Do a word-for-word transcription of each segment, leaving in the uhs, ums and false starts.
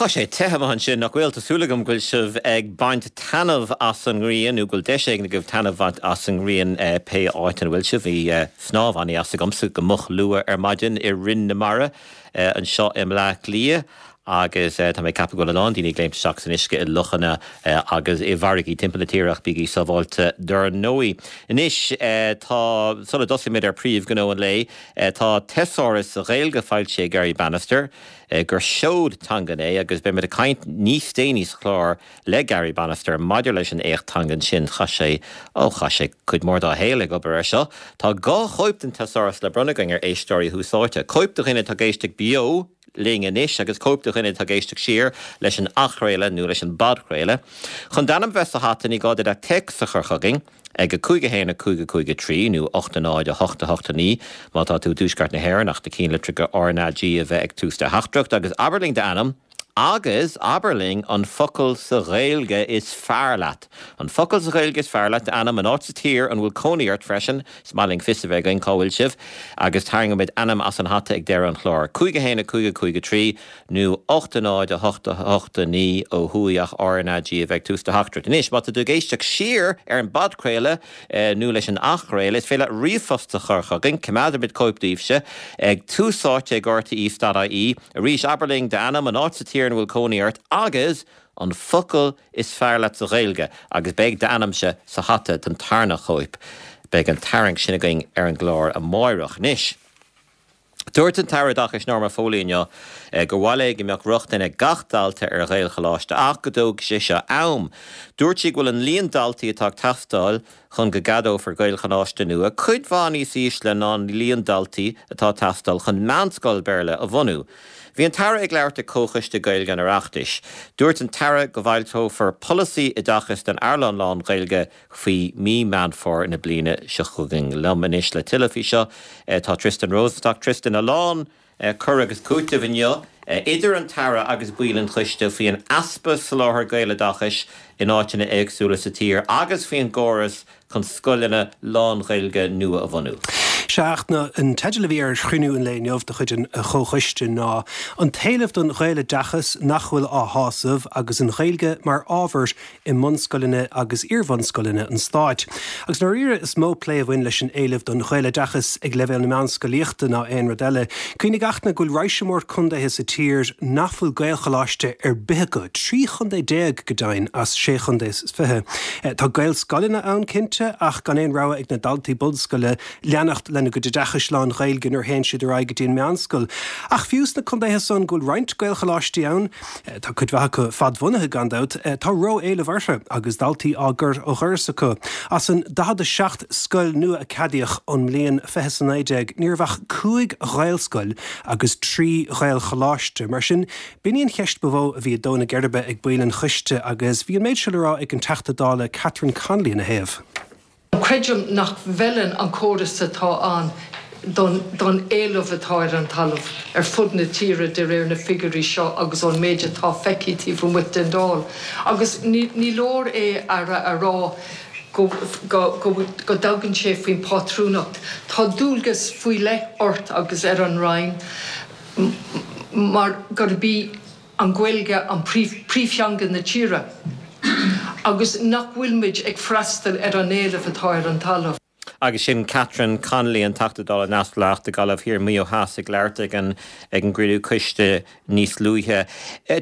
Tá sé te amuigh ansin, nach bhfuil? Tá súil agam go bhfuil sibh ag baint taitneamh as an ngrian, nó go bhfuil deis éigin agaibh taitneamh a bhaint as an ngrian pé áit ina bhfuil sibh. Bhí snámh an-deas agamsa go moch luath ar maidin i Rinn na Mara anseo i mBleá Cliath agus tá mé ag ceapadh go bhfuil a lán daoine ag léimt isteach san uisce i lochanna agus i bhfarraigí timpeall na tíre ach bígí sábháilte dar ndóigh. Anois tá, sula dtosaímid ar príomhghnó an lae, tá teasáras sa Ghaeilge foilsithe ag Garry Bannister gur seod teangan é agus beimid ag caint níos déanaí sa chlár le Garry Bannister maidir leis an éacht teangan sin. Chaith sé, ó chaith sé cuid mhór dá shaol ag obair air seo. Tá dhá chóip den teasáras le bronnadh againn ar éisteoirí Thús Áite. Cóip do dhuine atá ag éisteacht beo linn anois agus cóip do dhuine atá ag éisteacht siar leis an athchraoladh nó leis an bpodchraoladh. Chun d'ainm bheith sa hata ní gá duit ach téacs a chur chugainn ag a cúig a haon a cúig a cúig a trí nó ocht a náid a hocht a hocht a naoi má tá tú i dtuaisceart na hÉireann ach na cinnlitreacha R na G a bheith ag tús do theachtaireacht agus abair linn d'ainm agus abair linn an focal sa Ghaeilge is fearr leat. An focal sa Ghaeilge is fearr leat, d'ainm, an áit sa tír an bhfuil cónaí ort freisin, is maith linn fios a bheith againn cá bhfuil sibh, agus tarraingeoimid ainm as an hata ag deireadh an chláir. Cúig a haon a cúig a cúig a trí nó ocht a náid a hocht a hocht a naoi ó thuaidh ach R na G a bheith ag tús do theachtaireacht. Anois, má tá tú ag éisteacht siar ar an bpodchraoladh nó leis an athchraoladh, is féidir leat ríomhphost a chur chugainn, coimeádfaimid cóip daoibhse, ag túsáite ag rte dot ie. Arís, abair linn d'ainm, an áit sa tír ina bhfuil cónaí ort agus an focal is fearr leat sa Ghaeilge agus beidh d'ainmse sa hata don tarna chóip. Beidh an tarraingt sin againn ar an gclár amáireach. Anois, dúirt an tAire Oideachais Norma Foley inniu gur mhaith léi go mbeadh rochtain ag gach dalta ar Ghaelcholáiste ach go dtógfaidh sé seo am. Dúirt sí go bhfuil an líon daltaí atá ag teastáil chun go gceadófar Gaelcholáiste nua cuid mhaith níos ísle ná an líon daltaí atá ag teastáil chun meánscoil Béarla a bhunú. Bhí an tAire ag labhairt ag Comhchoiste Gaeilge an Oireachtais. Dúirt an tAire go bhfoilseofar polasaí oideachais don earnáil lán-Ghaeilge faoi mí Meán Fómhair na bliana seo chugainn. Liom anois le tuilleadh faoi seo tá Tristan Rosenstock. Tristan, a lán cur agus cúiteamh inniu idir an tAire agus baill an choiste faoi an easpa soláthair Gaeloideachais in áiteanna éagsúla sa tír agus faoin gcóras chun scoileanna lán-Ghaeilge nua a bhunú. Sea, an teideal a bhí ar chruinniú an lae inniu de chuid an Chomhchoiste ná 'An t-éileamh don Ghaeloideachas nach bhfuil á shásamh agus an Ghaeilge mar ábhar i mbunscoileanna agus iarbhunscoileanna an Stáit'. Agus ndáiríre is mó plé a bhain leis an éileamh don Ghaeloideachas ag leibhéal na meánscolaíochta ná aon rud eile. Cuimhnigh a Fhachtna go bhfuil raidhse mór contaetha sa tír nach bhfuil Gaelcholáiste ar bith acu, trí chontae déag go deimhin as sé chontae is fiche. Tá Gaelscoileanna ann cinnte ach gan aon rogha ag na daltaí bunscoile leanacht lena gcuid oideachais lán-Ghaeilge nuair a théann siad ar aghaidh go dtí an meánscoil. Ach fiú sna contaetha san go bhfuil roinnt Gaelcholáistí ann, tá cuid mhaith acu fadbhunaithe gan dabht, tá ró-éileamh orthu agus daltaí á gcur ó dhoras acu. As an daichead a seacht scoil nua a ceadaíodh ón mbliain fiche is a naoi déag, ní raibh ach cúig Ghaelscoil agus trí Ghaelcholáiste. Mar sin, b'in í an cheist ba mhó a bhí ag dó na geirbe ag baill an choiste agus bhí an méid seo le rá ag an Teachta Dála Catherine Connolly ina thaobh. Creidim nach bhfeileann an córas atá ann don don éileamh atá ar an talamh ar fud na tíre de réir na figiúirí seo agus ón méid atá feicthe taobh amuigh den Dáil. Agus ní ní leor é Aire a rá go go go go dtagann sé faoin bpátrúnacht. Tá dualgas faoi leith ort agus ar an Roinn mar gurb í an Ghaeilge an príomhtheanga na tíre agus nach bhfuilmid ag freastal ar an éileamh atá ar an talamh. Agus sin Catherine Connolly, an Teachta Dála Neamhspleách do Ghaillimh Thiar Maigh Eo Theas ag labhairt ag an ag an gcruinniú coiste níos luaithe.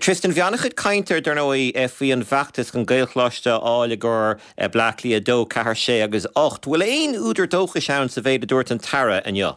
Tristan, bhí an-chuid cainte dar ndóigh faoi an bhfeachtas chun Gaelcholáiste a fháil i gcomhair Bleá Cliath a dó, ceathair, sé agus ocht. Bhfuil aon údar dóchais ann sa mhéid a dúirt an tAire inniu?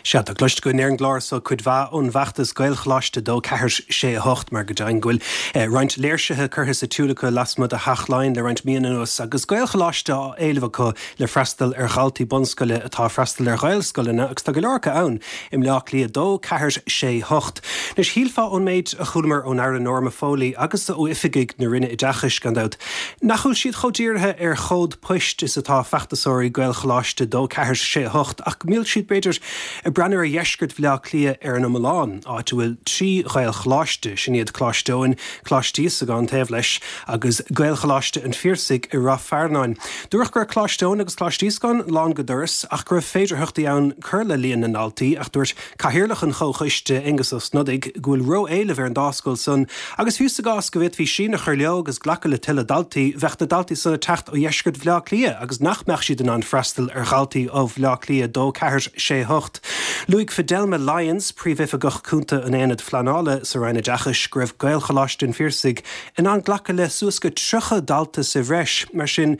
Sea, tá cloiste againn ar an gclár so cuid mhaith ón bhfeachtas Gaelcholáiste dó, ceathair, sé, a hocht, mar go deimhin go bhfuil roinnt léirsithe curtha sa tsiúl acu lasmuigh de Theach Laighean le roinnt míonna anuas agus Gaelcholáiste á éileamh acu le freastal ar dhaltaí bunscoile atá ag freastal ar Ghaelscoileanna agus tá go leor acu ann i mBleá Cliath dó, ceathair, sé, hocht. Anois, shílfeá ón méid a chualamar ón Aire Norma Foley agus ó oifigigh na Roinne Oideachais, gan dabht, nach bhfuil siad chomh dírithe ar chód poist is atá feachtasóirí Gaelcholáiste dó, ceathair, sé, a hocht ach go mbíonn siad, b'fhéidir, ag breathnú ar dheisceart Bhaile Átha Cliath ar an iomlán, áit a bhfuil trí Ghaelcholáiste, sin iad Coláiste Eoin, Coláiste Íosagáin taobh leis, agus Gaelcholáiste an Phiarsaigh i Ráth Fearnáin. Dúradh go raibh Coláiste Eoin agus Coláiste Íosagáin lán go doras ach go raibh féidearthachtaí ann cur le líon na ndaltaí ach dúirt Cathaoirleach an Chomhchoiste, Aengus Ó Snodaigh, go bhfuil ró-éileamh ar an dá scoil san agus fiú sa gcás go bhféadfaí síneadh a chur leo agus glacadh le tuilleadh daltaí, bheadh na daltaí san ag teacht ó dheisceart Bhaile Átha Cliath agus nach mbeadh siad in ann freastal ar dhaltaí ó Bhaile Átha Cliath a dó, ceathair, sé, hocht. Luaigh Fidelma Lyons, Príomhoifigeach Cúnta an Aonaid Phleanála sa Roinn Oideachais, go raibh Gaelcholáiste an Phiarsaigh in ann glacadh le suas go tríocha dalta sa bhreis. Mar sin,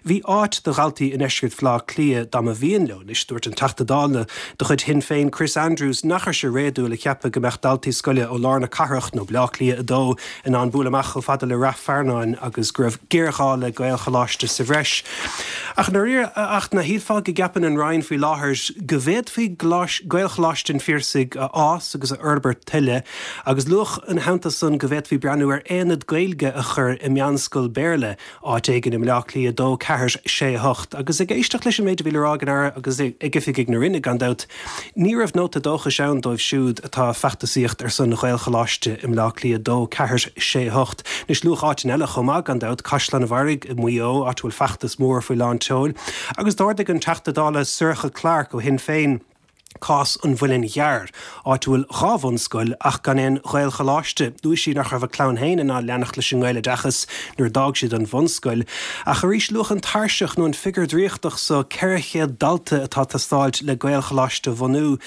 bhí áit do dhaltaí i ndeisceart Bhaile Átha Cliath dá mba mhian leo. Anois, dúirt an Teachta Dála de chuid Shinn Féin, Chris Andrews, nach raibh sé réadúil a cheapadh go mbeadh daltaí scoile ó lár na cathrach nó Baile Átha Cliath a dó in ann bualadh amach chomh fada le Rath Fearnáin agus go raibh géarghá le Gaelcholáiste sa bhreis. Ach ndáiríre, a Fhachtna, shílfeá go gceapann an Roinn faoi láthair go bhféadfaí Gaelcholáiste an Phiarsaigh a fhás agus a fhorbairt tuilleadh agus luadh ina theannta san go bhféadfaí breathnú ar aonad Gaeilge a chur i meánscoil Béarla áit éigin i mBaile Átha Cliath a dó, ceathair, sé, hocht. Agus ag éisteacht leis an méid a bhí le rá ag an Aire agus ag oifigigh na Roinne gan dabht, ní raibh nóta dóchais ann dóibh siúd atá ag feachtasaíocht ar son Ghaelcholáiste i mBaile Átha Cliath a dó, ceathair, sé, hocht. Anois luadh áiteanna eile chomh maith gan dabht, Caisleán an Bharraigh i Maigh Eo, áit a bhfuil feachtas mór faoi lán tseoil. Agus d'ardaigh an Teachta Dála Sorcha Clarke ó Shinn Féin cás an Mhuilinn Gcearr, áit a bhfuil dhá bhunscoil ach gan aon Ghaelcholáiste. Luaigh sí nach raibh a clann féin in ann leanacht leis an nGaeloideachas nuair a d'fhág siad an bhunscoil. Ach arís luadh an tairseach nó an figiúr draíochtach so, ceithre chéad dalta atá ag teastáilt le Gaelcholáiste a bhunú.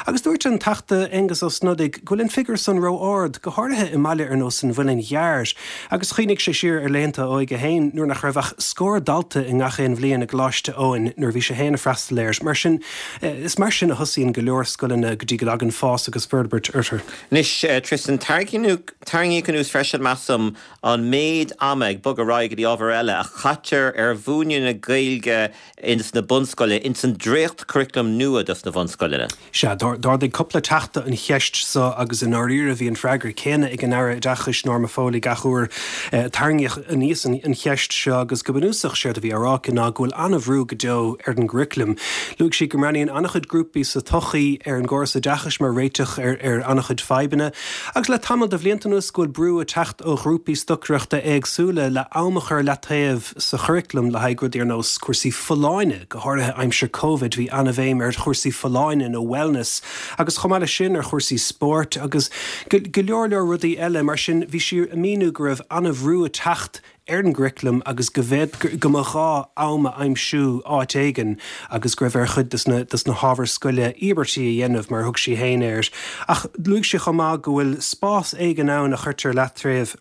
Agus dúirt an Teachta Aengus Ó Snodaigh go bhfuil an figiúr san ró-ard, go háirithe i mbaile ar nós an Mhuilinn Gcearr. Agus chuimhnigh sé siar ar laethanta a óige féin nuair nach raibh ach scór dalta i ngach aon bhliain i gColáiste Eoin nuair a bhí sé féin ag freastal air. Mar sin, is mar sin a thosaíonn go leor scoileanna go dtí go dtagann fás agus forbairt orthu. Anois, Tristan, tarraingíodh anuas freisin, measaim, an méid ama, ag bogadh ar aghaidh go dtí ábhar eile, a chaitear ar mhúineadh na Gaeilge ins na bunscoileanna, ins an dréacht-churaclam nua dos na bhunscoileanna. Sea, d'ardaigh cúpla teachta an cheist so agus i ndáiríre bhí an freagra céanna ag an Aire Oideachais Norma Foley gach uair a tarraingíodh aníos an cheist seo agus go bunúsach séard a bhí á rá aici ná go bhfuil an-bhrú go deo ar an gcuraclam. Luaigh sí go mbreathnaíonn an-chuid grúpaí sa tsochaí ar an gcóras oideachais mar réiteach ar ar an-chuid fadhbanna agus le tamall de bhlianta anuas go bhfuil brú ag teacht ó ghrúpaí stocaireachta éagsúla le am a chur leataobh sa churaclam le haghaidh rudaí ar nós cúrsaí folláine, go háirithe aimsir Covid bhí an-bhéim ar chúrsaí folláine nó wellness agus chomh maith leis sin ar chúrsaí spóirt agus go leor leor rudaí eile. Mar sin bhí sí ag míniú go raibh an-bhrú ag teacht ar an gcuraclam agus go bhféad go mba ghá am a aimsiú áit éigin agus go raibh ar chuid de na hábhair scoile íobairtí a dhéanamh mar a thug sí féin air. Ach luaigh sí chomh maith go bhfuil spás éigin ann a chuirtear leataobh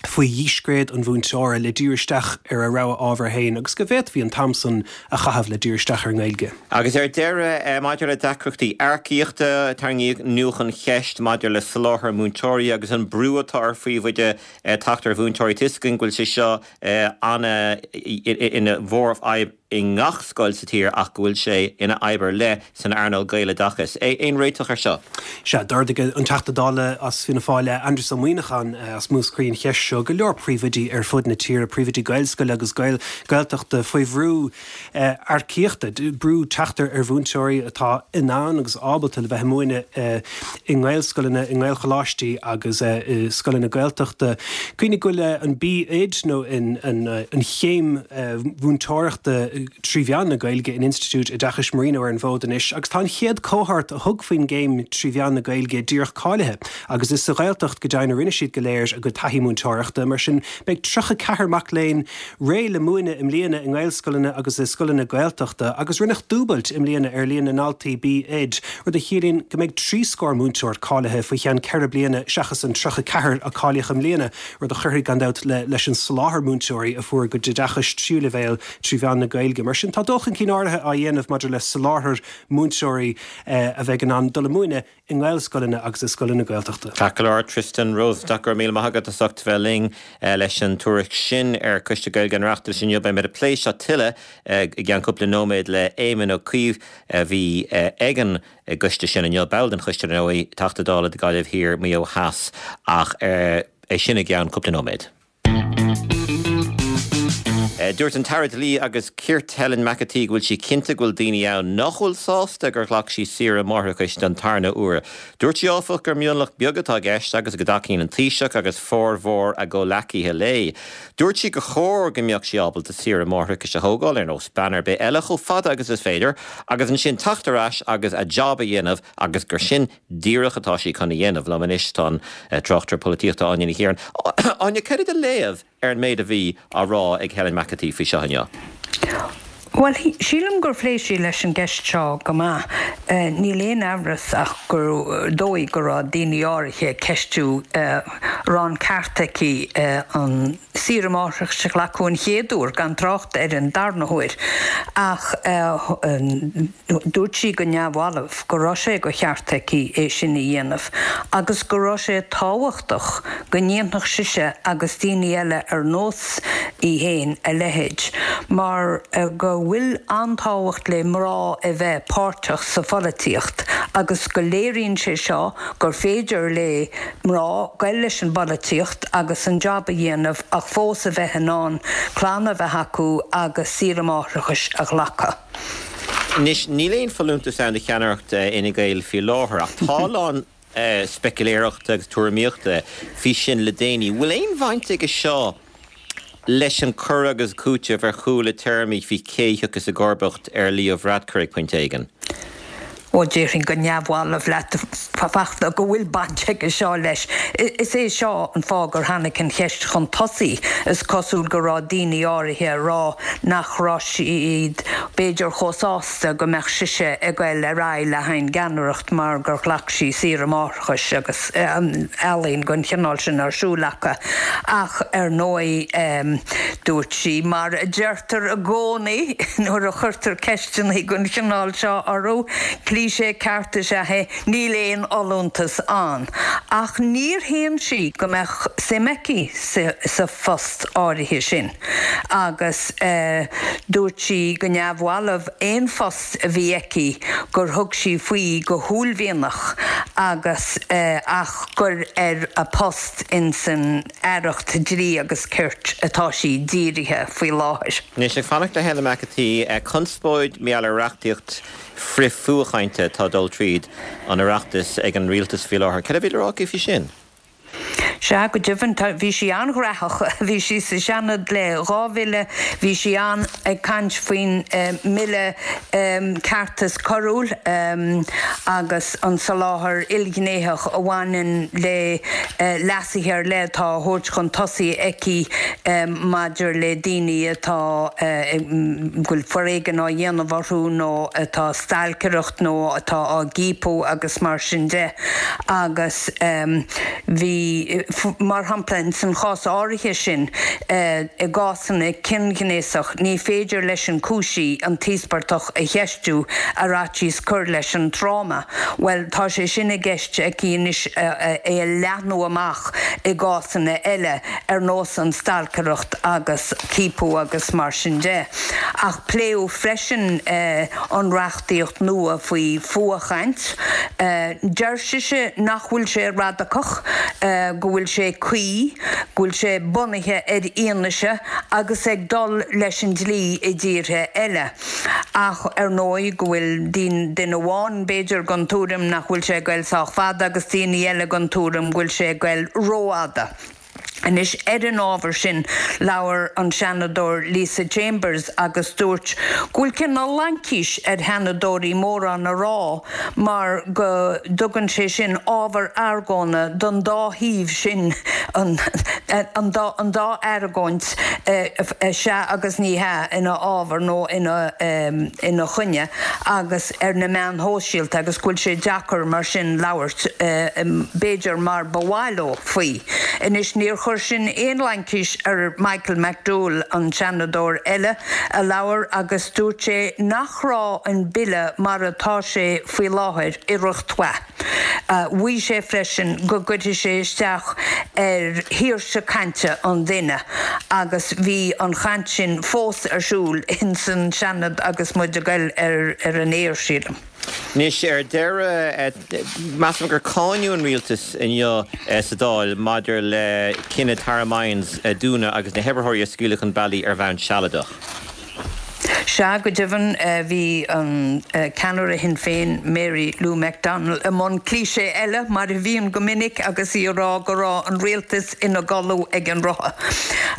faoi dhíscréid an mhúinteora le díriú isteach ar a rogha ábhar féin agus go bhféadfaí an t-am san a chaitheamh le díriú isteach ar an nGaeilge. Agus ar deireadh, maidir le deacrachtaí earcaíochta, tarraingíodh anuas an cheist maidir le soláthar múinteoirí agus an brú atá ar phríomhoidí teacht ar mhúinteoirí. Tá a fhios againn go bhfuil sé seo ina mhórfhadhb i ngach scoil sa tír ach go bhfuil sé ina fhadhb ar leith san earnáil Gaeloideachais. Aon réiteach air seo? Sea, d'ardaigh an Teachta Dála as Fianna Fáil, Aindrias Ó Muimhneacháin as Múscraí an cheist seo. Go leor príomhoidí ar fud na tíre, príomhoidí Gaelscoile agus Gaeltachta faoi bhrú earcaíochta, brú teacht ar mhúinteoirí atá in ann agus ábalta le bheith ag múineadh i nGaelscoileanna, i nGaelcholáistí agus i scoileanna Gaeltachta. Cuimhnigh go bhfuil an B.Oid nó an chéim mhúinteoireachta trí mheán na Gaeilge in Institiúid Oideachais Marino ar an bhfód anois agus tá an chéad cohort a thug faoin gcéim trí mheán na Gaeilge díreach cáilithe agus is sa Ghaeltacht go deimhin a rinne siad go léir a gcuid taithí múinteoireachta. Mar sin beidh tríocha ceathair mac léinn réidh le múineadh i mbliana i nGaelscoileanna agus i scoileanna Gaeltachta agus rinneadh dúbailt i mbliana ar líon na ndaltaí B.Oid, rud a chiallaíonn go mbeidh trí scór múinteoir cáilithe faoi cheann ceithre bliana seachas an tríocha ceathair a cáilíodh i mbliana, rud a chuirfidh gan dabht leis an soláthar múinteoirí a fuair a gcuid oideachais tríú leibhéal trí mheán na Gaeilge. Mar sin tá dul chun cinn áirithe á dhéanamh maidir le soláthar múinteoirí a bheidh in ann dul ag múineadh i nGaelscoileanna agus i scoileanna Gaeltachta. Ceart go leor, Tristan Rosenstock, go raibh míle maith agat as ucht bheith linn leis an tuairisc sin ar Choiste Gaeilge an Oireachtais inniu. Beidh muid ag plé seo tuilleadh i gceann cúpla nóiméad le Éamon Ó Cuív a bhí ag an gcoiste sin inniu, ball den choiste ar ndóigh, Teachta Dála do Ghaillimh Thiar, Maigh Eo Theas, ach é sin i gceann cúpla nóiméad. Dúirt an tAire Dlí agus Cirt Helen McEntee go bhfuil sí cinnte go bhfuil daoine ann nach bhfuil sásta gur ghlac sí saoire máithreachais don tarna huair. Dúirt sí áfach gur mionlach beag atá i gceist agus go dtacaíonn an Taoiseach agus formhór a gcomhghleacaithe léi. Dúirt sí gur chóir go mbeadh sí ábalta saoire máithreachais a thógáil ar nós bean ar bith eile chomh fada agus is féidir, agus ansin teacht ar ais agus a job a dhéanamh agus gur sin díreach atá sí chun a dhéanamh liom anois tá an tráchtaire polaitíochta Áine Ní Chiaráin. Áine cad é do léamh ar an méid a bhí á rá ag Helen McEntee faoi seo inniu. Well sílim gur phléigh sí leis an gceist seo go maith. Uh, níl aon amhras ach gur dóigh go raibh daoine áirithe ceistiú uh, raibh an ceart aici uh, an saoire máithreachais a ghlacadh an chéad uair gan trácht ar an darna huair ach uh, dúirt sí go neamhbhalbh go raibh sé de cheart aici é sin a dhéanamh, agus go raibh sé tábhachtach go ndéanfadh sise agus daoine eile ar nós í féin a leithéid, mar uh, go bhfuil an-tábhacht le mná a bheith páirteach sa pholaitíocht, agus go léiríonn sé seo gur féidir le mná dul leis an bpolaitíocht agus an job a dhéanamh ach fós a bheith in ann clann a bheith acu agus saoire máithreachais a ghlacadh. Anois níl aon folúntas ann do cheannaireacht Fhine Gael faoi láthair ach tá a lán speculéireachta agus tuairimíochta faoi sin le déanaí. Bhfuil aon bhaint aige seo leis an cur agus cúiteamh ar chúla téarmaí faoi cé a thiocfas i gcomharbacht ar Leo Varadkar ag pointe éigin. ó déarfainn go neamhbhalbh leat Fachtna go bhfuil baint aige seo leis. Is é seo an fáth gur tháinig an cheist chun tosaigh is cosúil go raibh daoine áirithe ag rá nach raibh siad b'fhéidir chomh sásta go mbeadh sise ag dul ar aghaidh leis an gceannaireacht mar gur ghlac sí saoire máithreachais agus ealaín den chineál sin ar siúl acu ach ar ndóigh um, dúirt sí mar a deirtear i gcónaí nuair a chuirtear ceisteanna den chineál seo orthu, cliché ceart is ea é níl aon fholúntas ann. Ach níor shéan sí go mbeadh suim aici sa, sa phost áirithe sin. Agus uh, dúirt sí go neamhbhalbh aon phost a bhí aici gur thug sí faoi go huaillmhianach agus uh, ach gur ar a post in san aireacht dlí agus cirt atá sí dírithe faoi láthair. Anois ag fanacht le Helen McEntee conspóid maidir le reachtaíocht frith-fhuathchainte atá ag dul tríd an Oireachtas ag an rialtas faoi láthair. Cad a bhí le rá faoi sin? Sea go deimhin bhí sí an-ghnóthach bhí sí sa Seanad le dhá mhí bhí sí an ag caint faoin mbille ceartas coiriúil agus an soláthar ilghnéitheach a bhaineann le leasuithe ar leith atá á thabhairt chun tosaigh aici maidir le daoine atá bhfuil foréigean á dhéanamh orthu nó atá stailceacht nó atá á gciapadh agus mar sin de agus bhí mar shampla san chás áirithe sin i gcásanna cion gnéasach ní féidir leis an gcúisí an t-íospartach a cheistiú ar fhaitíos cur leis an tráma. Well tá sé sin i gceist aici anois é a leathnú amach i gcásanna eile ar nós an stalcaireacht agus ciapadh agus mar sin de. Ach pléadh freisin an reachtaíocht nua faoi fuathchaint. Deir sise nach bhfuil sé radacach go bhfuil sé cuí, go bhfuil sé bunaithe ar fhianaise agus ag dul leis an dlí i dtíortha eile. Ach ar ndóigh go bhfuil duine amháin b'fhéidir den tuairim nach bhfuil sé ag dul sách fada agus daoine eile den tuairim go bhfuil sé ag dul rófhada. Anois ar an ábhar sin labhair an Seanadóir Lisa Chambers agus dúirt go bhfuil cineál laincis ar sheanadóirí mórán a rá mar go dtugann sé sin ábhar argóna don dá thaobh sin an, an, dá, an dá argóint sea agus ní hea ina fhabhar nó ina, um, ina choinne agus ar na meáin shóisialta agus go bhfuil sé deacair mar sin labhairt uh, b'fhéidir mar ba mhaith leo faoi. Anois níor chuir sin aon laincis ar Michael McDowell an Seanadóir eile a labhair agus dúirt sé nach raibh an bille mar atá sé faoi láthair iarracht mhaith. Mhaígh sé freisin go gcuirfidh sé isteach ar shaoirse cainte an duine agus bhí an chaint sin fós ar siúl in san Seanad agus muid ag dul ar ar an aer sílim. Anois ar deireadh, measaim gur cáineadh an rialtas inniu sa Dáil maidir le cinneadh Tara Mines a dúnadh agus na hoibritheoirí a scaoileadh chun bealaigh ar bhonn sealadach. Sea, go deimhin, bhí an ceannaire Shinn Féin, Mary Lou McDonald, i mbun cliché eile, mar a bhíonn go minic, agus í ag rá go raibh an rialtas ina gcodladh ag an rotha.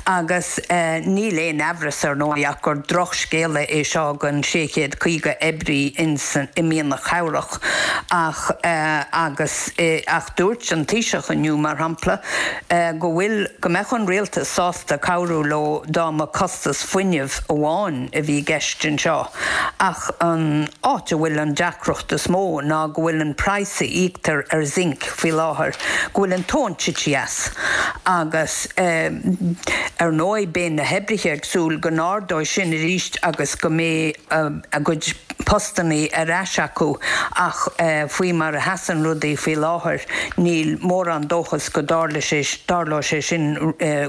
Agus níl aon amhras, ar ndóigh, ach gur drochscéala é seo don sé chéad caoga oibrí i Mianach Chabhrach. Ach agus ach dúirt an Taoiseach inniu, mar shampla, go bhfuil, go mbeadh an rialtas sásta cabhrú leo dá mba costas fuinnimh amháin a bhí i gceist anseo. Ach an áit a bhfuil an deacracht is mó ná go bhfuil an praghas a íoctar ar zinc faoi láthair, go bhfuil an tóin tite as. Agus ar ndóigh beidh na hoibrithe ag súil go n-ardóidh sin arís agus go mbeidh a gcuid postannaí ar ais acu ach faoi mar a sheasann rudaí faoi láthair níl mórán dóchas go dtarlóidh sé sin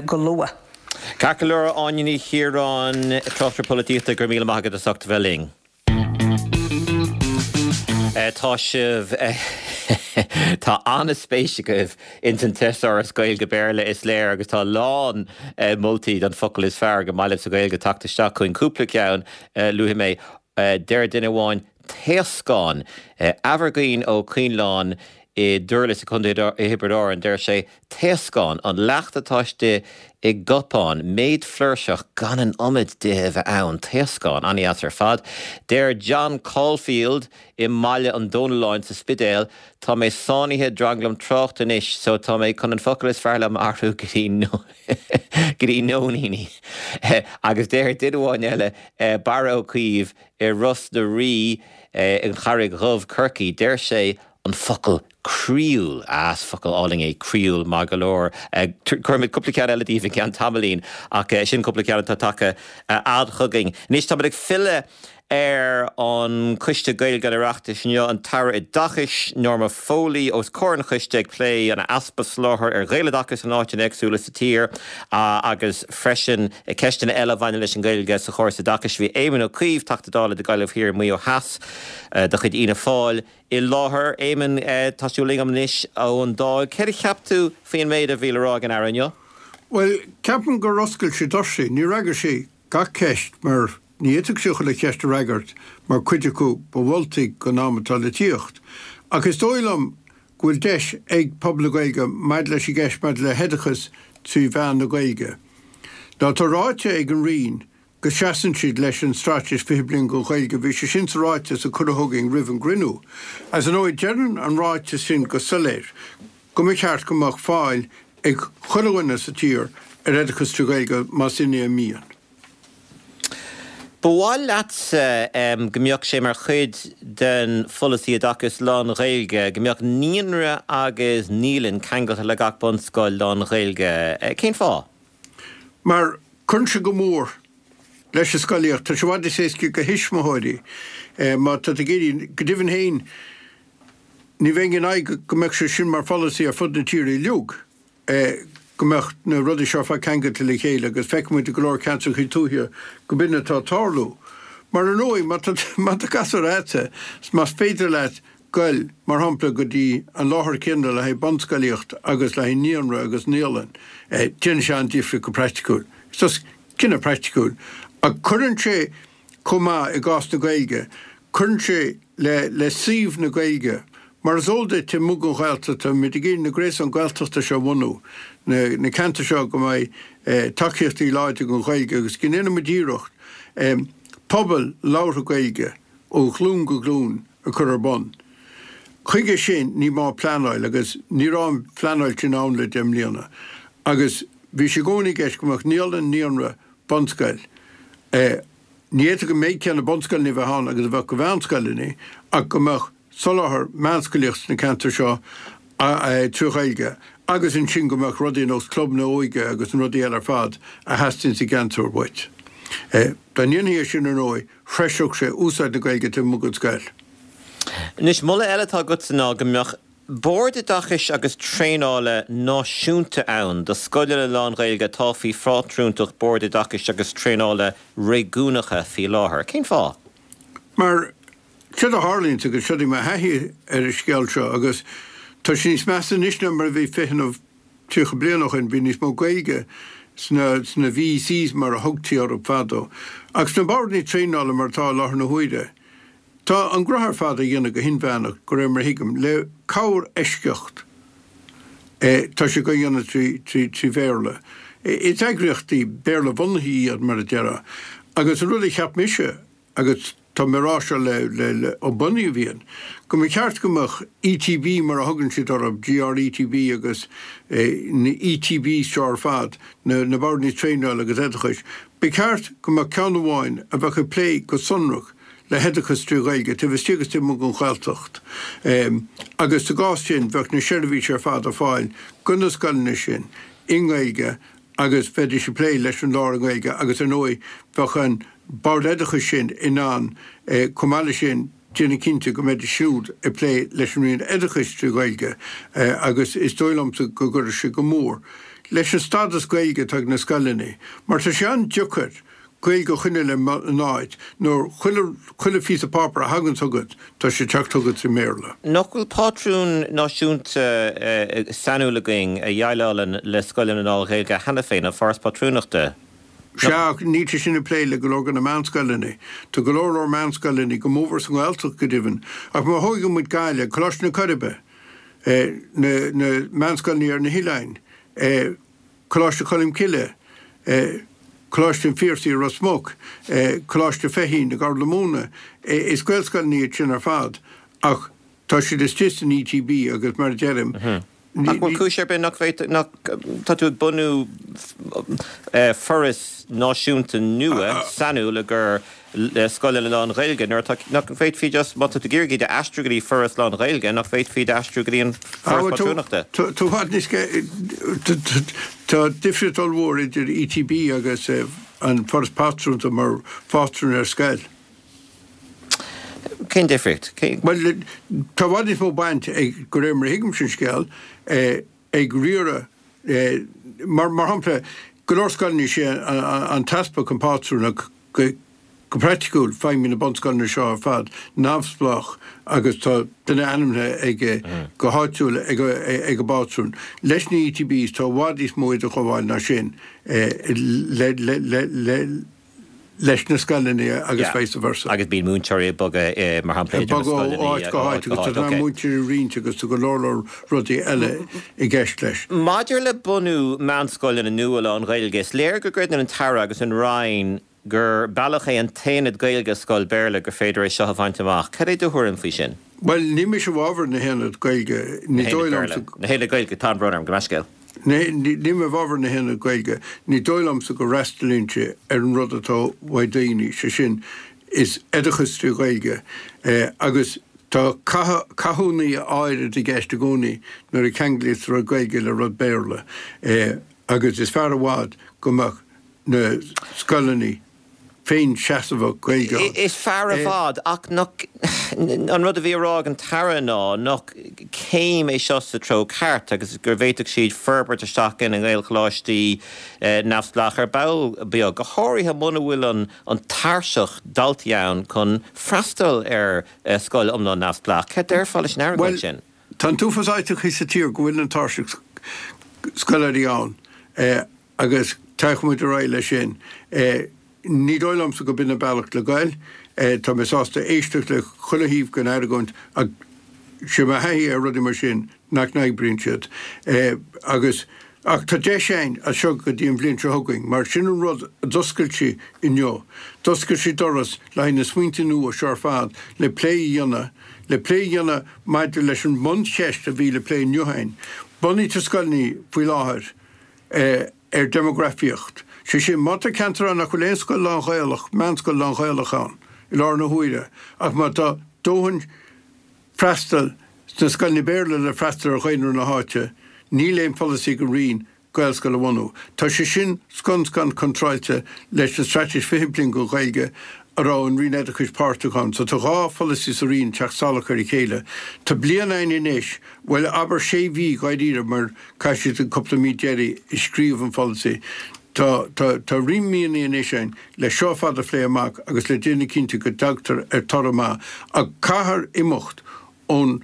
go luath. Ceart go leor, Áine Ní Chiaráin, tráchtaire polaitíochta, go raibh míle maith agat as ucht a bheith linn. Tá sibh Tá an-spéis agaibh ins an teasáras Gaeilge-Béarla is léir agus tá a lán moltaí don focal is fearr go maith libh sa Ghaeilge tagtha isteach chugainn. Cúpla ceann luafaidh mé. Deir duine amháin taoscán. Aimhirgín Ó Coinleáin i nDurlas i gContae Thiobraid Árann, deir sé, taoscán, an leacht atá istigh i gcupán, méid flúirseach gan an iomad de a bheith ann, taoscán, an-deas ar fad. Deir John Caulfield i mBaile an Domhnalláin sa Spidéal, tá mé sáinnithe i dtranglam tráchta anois so tá mé chun an focal is fearr liom a athrú go dtí go dtí nóiníní. Agus deir duine amháin eile, Barra Ó Caoimh i Ros na Rí, An Charraig Dhubh, Corcaigh, deir sé an focal croíúil. Ah, is focal álainn é croíúil, maith go leor. Cuirfimid cúpla ceann eile daoibh i gceann tamaillín ach sin cúpla ceann atá tagtha fhad chugainn. Anois táimid ag filleadh ar an Choiste Gaeilge an Oireachtais inniu, an tAire Oideachais, Norma Foley, os comhair an choiste ag plé an easpa soláthair ar Ghaeloideachas in áiteanna éagsúla sa tír agus freisin ceisteanna eile a bhaineann leis an Ghaeilge sa chóras oideachais. Bhí Éamon Ó Cuív, Teachta Dála do Ghaillimh Thiar, Maigh Eo Theas de chuid Fhianna Fáil, i láthair. Éamon, tá tú linn anois ón Dáil. Céard a cheap tú faoin méid a bhí le rá ag an Aire inniu? Bhuel, ceapaim gur oscail sí doirsí. Níor fhreagair sí gach ceist mar ní fhéadfadh sí chuile cheist a fhreagairt mar cuid acu ba mholtaí don am atá le tíocht. Ach is dóigh liom go bhfuil deis ag pobal na Gaeilge maidir leis an gceist maidir le hoideachas trí mheán na Gaeilge. Now tá ráite ag an Roinn go seasann siad leis an Straitéis fiche Bliain don Ghaeilge, bhí sé sin sa ráiteas a cuireadh chugainn roimh an gcruinniú. Agus ar ndóigh deireann an ráiteas sin go soiléir go mba cheart go mbeadh fáil ag chuile dhuine sa tír ar oideachas trí Ghaeilge más in é a mian. Ba mhaith leatsa go mbeadh sé mar chuid den pholasaí oideachais lán-Ghaeilge go mbeadh naíonra agus naíolann ceangailte le gach bunscoil lán-Ghaeilge. Cén fáth? Mar cuireann sé go mór leis an scolaíocht. Tá sé i bhfad níos éasca do thuismitheoirí má tá tú ag iarraidh, go deimhin féin, ní bheinn in aghaidh go mbeadh sé sin mar pholasaí ar fud na tíre uilig, go mbeadh na rudaí seo ar fad ceangailte le chéile agus feicfidh muid i go leor ceantracha tuaithe go b'in atá ag tarlú. Mar ar ndóigh, má tá má tá gasúr agatsa, más féidir leat goil, mar shampla, go dtí an láthair chéanna le haghaidh bunscolaíocht agus le haghaidh naíonra agus naíolann, déanann sé an-difríocht go praiticiúil. Is cinneadh praiticiúil. Ach cuireann sé, chomh maith, i gcás na Gaeilge, cuireann sé le le suíomh na Gaeilge. Mar is eol duit, amuigh den Ghaeltacht, táimid ag iarraidh na gréasáin Gaeltachta seo a bhunú, na na ceantair seo go mbeidh tacaíochtaí láidre don Ghaeilge agus go ndéanfaidh muid iarracht pobail labhartha Gaeilge ó ghlúin go glúin a chur ar bun. Chuige sin, ní maith pleanáil agus ní raibh an phleanáil sin ann le deich mbliana agus bhí sé i gcónaí i gceist go mbeadh naíolann, naíonra, bunscoil. Ní fhéadfadh an méid céanna bunscoileanna a bheith ann agus a bheadh de mheánscoileanna ach go mbeadh soláthar meánscolaíochta sna ceantair seo trí Ghaeilge agus ansin go mbeadh rudaí ar nós clubanna óige agus na rudaí eile ar fad a theastaíonn sa gceantar uait. Dá ndéanfaí é sin, ar ndóigh, threiseodh sé úsáid na Gaeilge taobh amuigh den scoil. Anois, moladh eile atá agatsa ná go mbeadh Bord Oideachais agus Traenála náisiúnta ann do scoileanna lán-Ghaeilge atá faoi phátrúntacht Boird Oideachais agus Traenála réigiúnacha faoi láthair. Cén fáth? Mar Séard a tharlaíonn agus seo í mo thaithí ar an scéal seo agus tá sé níos measa anois ná mar a bhí fiche nó tríocha bliain ó shin, bhí níos mó Gaeilge sna sna VECs mar a thugtaí orthu fadó. Ach sna boird traenála mar atá i láthair na huaire, tá an gnoithe ar fad á dhéanamh go hinmheánach, de réir mar a thuigim, le corr-eisceacht. Tá sé á dhéanamh trí trí trí Bhéarla. Is eagraíochtaí Béarla-bhunaithe iad mar a déarfá. Agus an rud a cheap mise, agus tá mé ag rá seo le le le ó bunaíodh iad, go mba cheart go mbeadh ETB mar a thugann siad orthu, GRETB agus na ETBs seo ar fad, na na boird traenála agus oideachais, ba cheart go mbeadh ceann amháin a bheadh ag plé go sonrach le hoideachas trí Ghaeilge taobh istigh agus taobh amuigh den Ghaeltacht. Agus sa gcás sin bheadh na seirbhísí ar fad ar fáil do na scoileanna sin i nGaeilge agus bheidís ag plé leis an lár i nGaeilge agus ar ndóigh bheadh an Bord Oideachais sin in ann chomh maith leis sin déanamh cinnte go mbeidís siúd ag plé leis an Roinn Oideachais trí Ghaeilge agus is dóigh liomsa go gcuirfeadh sé go mór leis an stádas Gaeilge atá ag na scoileanna mar tá sé an-deacair Gaeilge a choinneáil in áit nuair chuile chuile phíosa páipéir a thagann chugat tá sé ag teacht chugat i mBéarla. Nach bhfuil pátrún náisiúnta sainiúil againn a dhéileálann le scoileanna lán-Ghaeilge cheana féin, an Foras Pátrúnachta? Sea, ach níl sé sin ag plé le go leor de na meánscoileanna. Tá go leor leor meánscoileanna, go mórmhór sa nGaeltacht go deimhin. Ach má thógann muid Gaillimh, Coláiste na Coiribe, na na meánscoileanna ar na hoileáin, Coláiste Cholm Cille, Coláiste an Phiarsaigh i Ros Muc, Coláiste Feichín i gCorr na Móna, is Gaelscoileanna iad sin ar fad ach tá siad istigh san ETB agus mar a deirim, Ach bhfuil cúis ar bith nach bhféadfadh, nach, tá tú ag bunú foras náisiúnta nua sainiúil i gcomhair scoileanna lán-Ghaeilge nuair atá, nach bhféadfaí just, má tá tú ag iarraidh iad a aistriú go dtí foras lán-Ghaeilge, nach bhféadfaí iad a aistriú go dtí an Foras Pátrúnachta? Tá i bhfad níos, tá difríocht ollmhór idir ETB agus an Foras Pátrúnachta mar phátrún ar scoil. Cén difríocht? Bhuel, tá i bhfad níos mó baint ag, de réir mar a thuigimse an scéal, ag riaradh, mar shampla, go leor scoileanna is é an t-easpag an pátrún ach go Go praiticiúil, feidhmíonn na bunscoileanna seo ar fad neamhspleách agus tá duine ainmnithe ag go háitiúil ag ag an bpátrún. Leis na ETBs tá i bhfad níos mó idirghabháil ná sin le le le le leis na scoileanna agus vice versa. Agus bíonn múinteoirí ag bogadh mar shampla idir na scoileanna. Ag bogadh ó áit go háit agus tá múinteoirí ag roinnt agus tá go leor leor rudaí eile i gceist leis. Maidir le bunú meánscoileanna nua lán-Ghaeilge, is léir go gcreideann an tAire agus an Roinn gur bealach é an t-aonad Gaeilge i scoil Béarla gur féidir é seo a bhaint amach. Cad é do thuairim faoi sin? Bhuel, níl mise i bhfabhar na haonad Gaeilge. Ní dóigh liomsa. Na haonaid Gaeilge, tá an brón orm, gabh mo leithscéal. Níl mé i bhfabhar na haonad Gaeilge. Ní dóigh liomsa go bhfreastalaíonn sé ar an rud atá uaidh daoine, sé sin, is oideachas trí Ghaeilge. Agus tá cathúna áirid i gceist i gcónaí nuair a cheanglaíos rud Gaeilge le rud Béarla. Agus is fearr i bhfad go mbeadh na scoileanna féinseasamhach Gaeilge ann. Is fearr i bhfad, ach nach, an rud a bhí á rá ag an tAire ná nach céim é seo sa treo ceart agus go bhféadfadh siad forbairt isteach ina nGaelcholáistí neamhspleách ar ball beag, go háirithe muna bhfuil an an tairseach daltaí ann chun freastal ar scoil iomlán neamhspleách. Cad déarfá leis an argóint sin? Bhuel, tá an t-uafás áiteacha sa tír go bhfuil an tairseach scoláirí ann. Agus téann muid ar aghaidh leis sin. Ní dóigh liomsa go b'in an bealach le goil. Tá mé sásta éisteacht le chuile thaobh den argóint ach sé mo thaithí ar rudaí mar sin nach n-oibríonn siad. Agus, ach tá deis againn as seo go dtí an bhliain seo chugainn mar sin an rud a d'oscail sí inniu. D'oscail sí doras le haghaidh na smaointe nua seo ar fad le plé a dhéanamh, le plé a dhéanamh maidir leis an mbuncheist a bhí le plé inniu againn. Bunaítear scoileanna faoi láthair. ar dhéimeagrafaíocht. Sé sin, má tá ceantar ann nach bhfuil aon scoil lán-Ghaelach, meánscoil lán-Ghaelach ann i láthair na huaire, ach má tá dóthain freastal sna scoileanna Béarla le freastal ar dhaonra na háite, níl aon pholasaí ag an Roinn Gaelscoil a bhunú. Tá sé sin scun scan contráilte leis an Straitéis Fiche Bliain don Ghaeilge a raibh an Roinn Oideachais páirteach ann. So tá dhá pholasaí sa Roinn ag teacht salach ar a chéile. Tá bliain againn anois, bhuel abair sé mhí dháiríre mar caithfidh siad an cúpla mí deiridh ag scríobh an pholasaí. Tá tá tá roinnt míonna anois ann le seo ar fad a phlé amach agus le déanamh cinnte go dtagtar ar toradh maith ach caithfear imeacht ón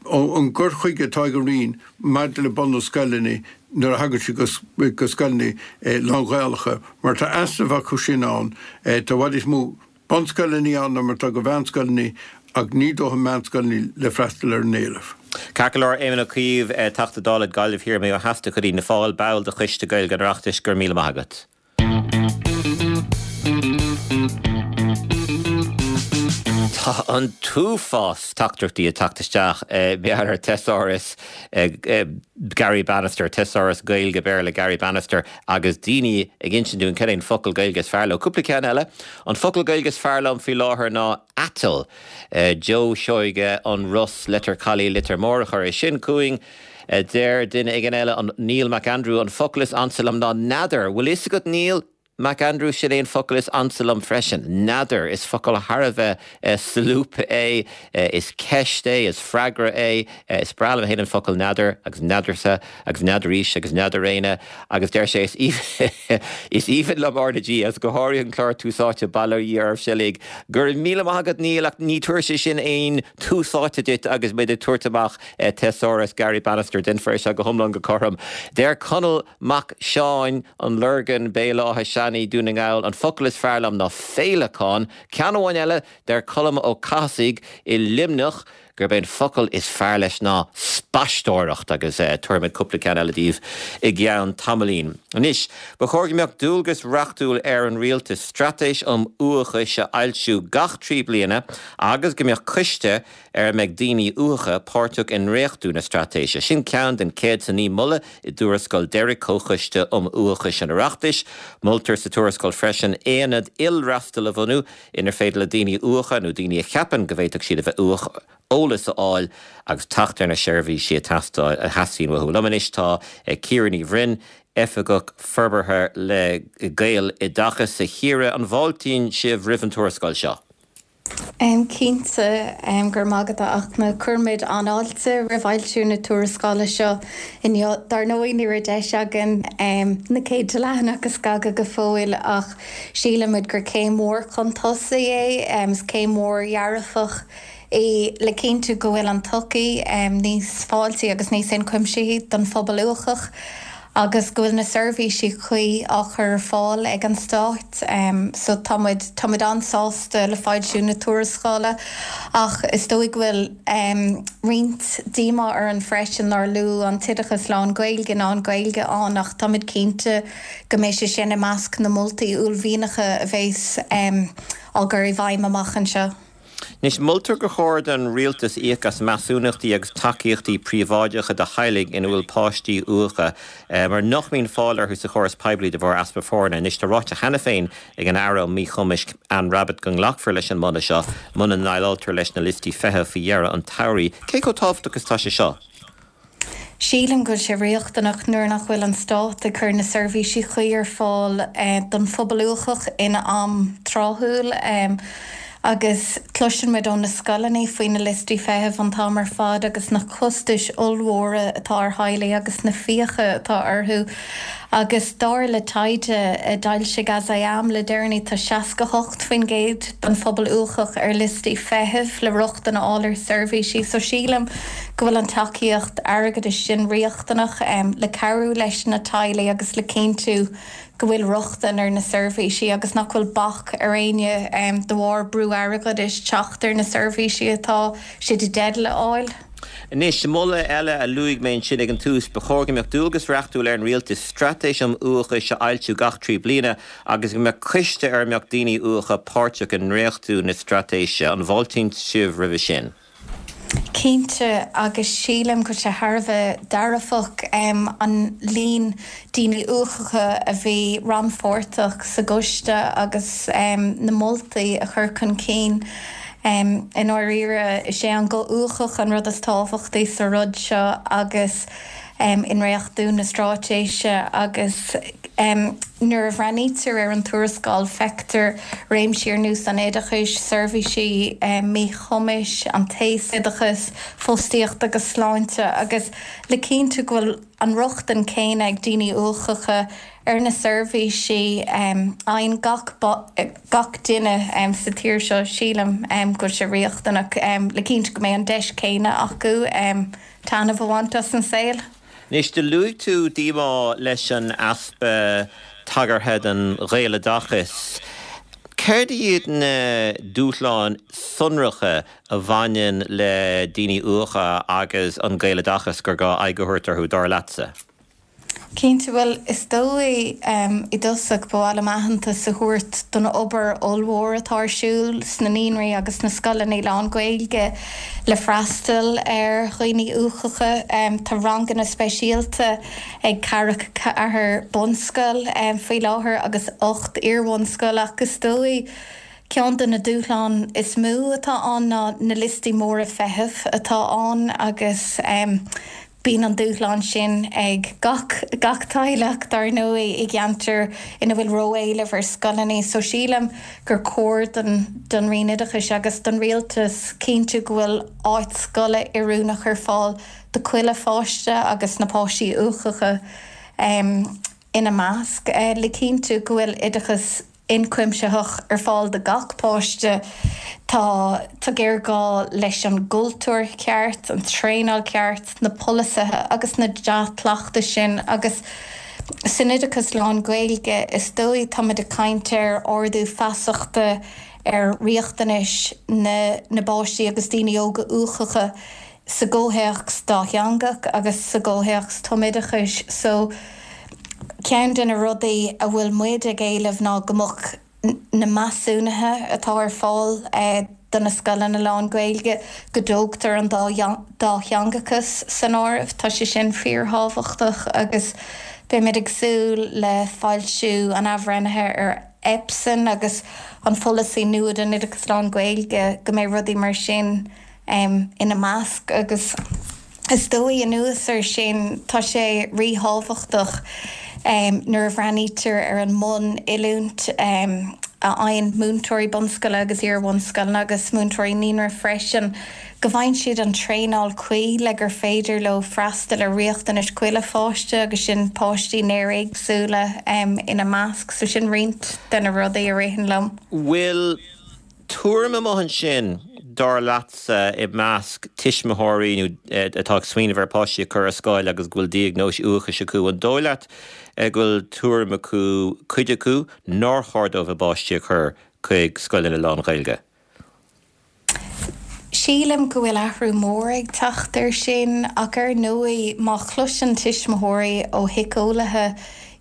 ón gcur chuige atá ag an Roinn maidir le bunú scoileanna nuair a thagann sé go scoileanna lán-Ghaelacha mar tá easnamh acu sin ann tá i bhfad níos mó bunscoileanna ann ná mar atá de mheánscoileanna ach ní dóthain meánscoileanna le freastal ar an éileamh. Ceart go leor, Éamon Ó Cuív, Teachta Dála Gaillimh Thiar Maigh Eo Theas de chuid Fhianna Fáil, ball de Choiste Gaeilge an Oireachtais, go raibh míle maith agat. Tá an t-uafás teachtaireachtaí ag teacht isteach ar Thesaurus Garry Bannister, Thesaurus Gaeilge Béarla Garry Bannister agus daoine ag insint dúinn cad é an focal Gaeilge is fearr leo. Cúpla ceann eile, an focal Gaeilge is fearr liom faoi láthair ná aiteal. Joe Seoige, An Ros, Leitir Caladh, Leitir Móir a chuir é sin chugainn. Deir duine éigin eile, an Neil McAndrew, an focal is ansa liom ná n'fheadar. Bhfuil fhios agat Neil? McAndrew, Sin é an focal is ansa liom freisin. N'fheadar. Is focal thar a bheith solúbtha é. Is ceist é, is freagra é. Is breá liom féin an focal n'fheadar agus n'fheadarsa agus n'fheadaraís agus n'fheadar éinne. Agus deir sé, is is aoibhinn liom R na G agus go háirithe an clár Tús Áite, bail ó Dhia oraibh uilig. Go raibh míle maith agat Neil ach ní tabharfaidh sé sin aon tús áite duit agus muid ag tabhairt amach Thesaurus Garry Bannister. Déanfar é seo go hiomlán go cothrom. Deir Conall Mac Seáin, An Lorgain, Béal Átha Seanaidh, Dún na nGall, an focal is fearr liom ná féileacán. Ceann amháin eile, deir Colm Ó Cathasaigh i Luimneach gurb é an focal is fearr leis ná spaisteoireacht agus tabharfaimid cúpla ceann eile daoibh i gceann tamaillín. Anois, ba chóir go mbeadh dualgas reachtúil ar an rialtas straitéis um uathachas a fhoilsiú gach trí bliana agus go mbeadh coiste ar a mbeidh daoine uathacha páirteach i ndréachtú na straitéise. Sin ceann den céad is a naoi moladh i dtuarascáil deiridh Comhchoiste um Uathachas an Oireachtais. Moltar sa tuarascáil freisin aonad ilfhreastail a bhunú inar féidir le daoine uathacha nó daoine a cheapann go bhféadfadh siad a bheith uathach eolas a fháil agus teacht ar na seirbhísí a theastaíonn uathu. Liom anois tá Ciara Ní Bhroin, Oifigeach Forbartha le Gaeloideachas. A Chiara, an bhfáiltíonn sibh roimh an tuarascáil seo? Cinnte, go raibh maith agat a Fhachtna. Cuirimid an-fháilte roimh fhoilsiú na tuarascála seo inniu. Dar ndóigh ní raibh deis againn na céadta leathanach a scagadh go fóill ach sílimid gur céim mhór chun tosaigh é, is céim mhór dhearfach é le cinntiú go bhfuil an tsochaí níos fáiltí agus níos ionchuimsithí don phobal uathach. agus go bhfuil na seirbhísí cuí á chur ar fáil ag an Stát. So tá muid, tá muid an-sásta le foilsiú na tuarascála ach is dóigh go bhfuil roinnt díomá orainn freisin nár luadh an t-oideachas lán-Ghaeilge ná an Ghaeilge ann ach tá muid cinnte go mbeidh sé sin i measc na moltaí uaillmhianacha a bheas á gcur i bhfeidhm amach anseo. Anois, moltar gur chóir don rialtas íoc as measúnachtaí agus tacaíochtaí príobháideacha do theaghlaigh ina bhfuil páistí uathacha, mar nach mbíonn fáil orthu sa chóras poiblí de bharr easpa foirne. Anois, tá ráite cheana féin ag an Aire um Míchumais, Anne Rabbitte, go nglacfar leis an moladh seo muna ndéileáiltear leis na liostaí feithimh faoi dheireadh an tsamhraidh. Cé chomh tábhachtach is atá sé seo? Sílim go bhfuil sé riachtanach nuair nach bhfuil an Stát ag cur na seirbhísí cuí ar fáil don phobal uathach in am tráthúil agus cloiseann muid ó na scoileanna faoi na liostaí feithimh an t-am ar fad agus na costais ollmhóra atá ar theaghlaigh agus na fiacha atá orthu agus dar le taighde a d'fhoilsigh As I Am le deireanaí tá seasca hocht faoin gcéad den phobal uathach ar liostaí feithimh le rochtain a fháil ar seirbhísí so sílim go bhfuil an tacaíocht airgeadais sin riachtanach le cabhrú leis na teaghlaigh agus le cinntiú go bhfuil rochtain ar na seirbhísí agus nach bhfuil bac ar éinne de bharr brú airgeadais teacht ar na seirbhísí atá siad i dteideal a fháil. Anois, moladh eile a luaigh mé ansin ag an tús, ba chóir go mbeadh dualgas reachtúil ar an rialtas straitéis um uathachas a fhoilsiú gach trí bliana agus go mbeadh coiste ar a mbeadh daoine uathacha páirteach i ndréachtú na straitéise. An bhfáiltíonn sibh roimhe sin? Cinnte, agus sílim go bhfuil sé thar a bheith dearfach an líon daoine uathacha a bhí rannpháirteach sa gcoiste agus na moltaí a chur chun cinn. I ndáiríre, is é an guth uathach an rud is tábhachtaí sa rud seo agus i ndréachtú na straitéise agus nuair a bhreathnaítear ar an tuarascáil feictear réimsí ar nós an oideachais, seirbhísí míchumais, an t-aosoideachas, fostaíocht agus sláinte agus le cinntiú go bhfuil an rochtain céanna ag daoine uathacha ar na seirbhísí a fhaigheann gach gach duine sa tír seo, sílim go bhfuil sé riachtanach le cinntiú go mbeidh an deis céanna acu taitneamh a bhaint as an saol. Anois, do luaigh tú díomá leis an easpa tagartha don Ghaeloideachas. Céard iad na dúshláin sonracha a bhaineann le daoine uathacha agus an Gaeloideachas gur gá aghaidh a thabhairt orthu, dar leatsa? Cinnte, bhuel, is dóigh i dtosach ba mhaith liom aitheantas a thabhairt don obair ollmhór atá ar siúl sna naíonraí agus sna scoileanna lán-Ghaeilge le freastal ar dhaoine uathacha. Tá ranganna speisialta ag ceathracha ceathair bunscoil faoi láthair agus ocht iar-bhunscoil ach is dóigh ceann de na dúshláin is mó atá ann ná na liostaí móra feithimh atá ann agus Bíonn an dúshlán sin ag gach gach teaghlach, dar ndóigh, i gceantar ina bhfuil ró-éileamh ar scoileanna, so sílim gur chóir don don Roinn Oideachais agus don Rialtas cinntiú go bhfuil áit scoile oiriúnach ar fáil do chuile pháiste agus na páistí uathacha ina measc, le cinntiú go bhfuil oideachas ionchuimsitheach ar fáil do gach páiste. Tá tá géarghá leis an gcultúr ceart, an traenáil ceart, na polasaithe agus na dea-chleachtais sin agus san oideachas lán-Ghaeilge is dóigh táimid ag caint ar ardú feasachta ar riachtanais na na bpáistí agus daoine óga uathacha sa gcomhthéacs dátheangach agus sa gcomhthéacs tumoideachais. So ceann de na rudaí a bhfuil muid ag éileamh ná go mbeadh na measúnuithe atá ar fáil do na scoileanna lán-Ghaeilge, go dtógtar an dátheangachas san áireamh. Tá sé sin fíorthábhachtach agus beimid ag súil le foilsiú an athbhreithnithe ar EPSEN agus an pholasaí nua don oideachas lán-Ghaeilge, go mbeidh rudaí mar sin ina measc agus is dóigh anuas air sin tá sé ríthábhachtach nuair a bhreathnaítear ar an mbun-oiliúint a fhaigheann múinteoirí bunscoile agus iar-bhunscoileanna agus múinteoirí naíonra freisin, go bhfaigheann siad an traenáil cuí le gur féidir leo freastal ar riachtanais chuile pháiste agus sin páistí néaréagsúla ina measc. So sin roinnt de na rudaí a ritheann liom. Bhfuil tuairim amuigh ansin, dar leatsa, i measc tuismitheoirí nó atá ag smaoineamh ar páistí a chur ar scoil agus go bhfuil diagnóis uathachais acu, an dóigh leat go bhfuil tuairim acu, cuid acu, nár chóir dóibh a bpáistí a chur chuig scoileanna lán-Ghaeilge? Sílim go bhfuil athrú mór ag teacht air sin ach ar ndóigh má chloiseann tuismitheoirí ó shíceolaithe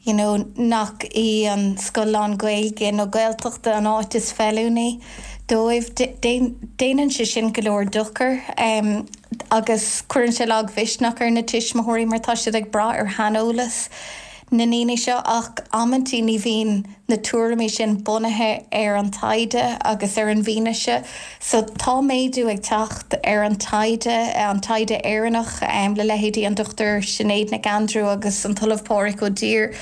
you know nach í an scoil lán-Ghaeilge nó Gaeltachta an áit is feiliúnaí dóibh, déanann sé sin go leor dochair agus cuireann sé lagmhisneach ar na tuismitheoirí mar tá siad ag brath ar shaineolas na ndaoine seo ach amantaí ní bhíonn na tuairimí sin bunaithe ar an taighde agus ar an bhfianaise. So tá méadú ag teacht ar an taighde, an taighde Éireannach le leithéidí an Dochtúir Sinéad Nic Aindriú agus an tOllamh Pádraig Ó Duibhir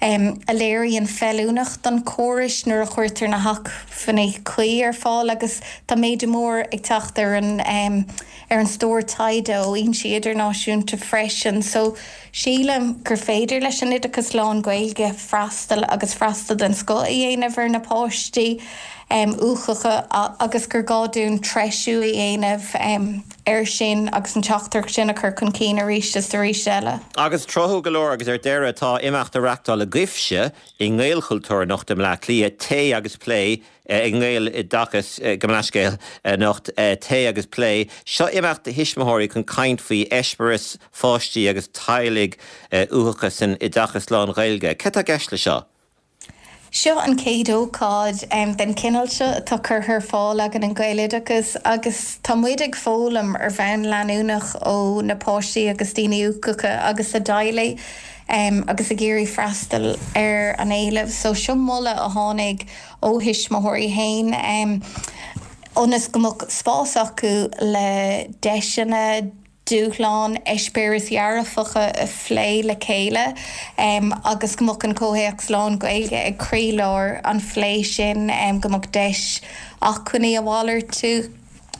a léiríonn feiliúnacht an chórais nuair a chuirtear na hacmhainní cuí ar fáil agus tá méadú mór ag teacht ar an ar an stór taighde ó fhoinsí idirnáisiúnta freisin. So sílim gur féidir leis an oideachas lán-Ghaeilge freastal agus freastal den scoth a dhéanamh ar na páistí uathacha agus gur gá dúinn treisiú a dhéanamh air sin agus an teachtaireacht sin a chur chun cinn arís is arís eile. Agus tráthúil go leor agus ar deireadh tá imeacht á reachtáil agaibhse i nGaelchultúr anocht i mBleá Cliath, Tae agus Plé i nGaeloideachas, gabh mo leithscéal, anocht, Tae agus Plé. Seo imeacht do thuismitheoirí chun caint faoi eispéireas pháistí agus teaghlaigh uathacha san oideachas lán-Ghaeilge. Cad tá i gceist le seo? Seo an chéad ócáid den chineál seo atá curtha ar fáil againn in Gaeloideachas agus tá muid ag foghlaim ar bhonn leanúnach ó na páistí agus daoine uathacha agus a dteaghlaigh agus ag iarraidh freastal ar an éileamh. So seo moladh a tháinig ó thuismitheoirí féin ionas go mbeadh spás acu le deiseanna, dúshláin, eispéiris dhearfacha a phlé le chéile agus go mbeadh an comhthéacs lán-Ghaeilge ag croílár an phlé sin, go mbeadh deis acmhainní a mhalartú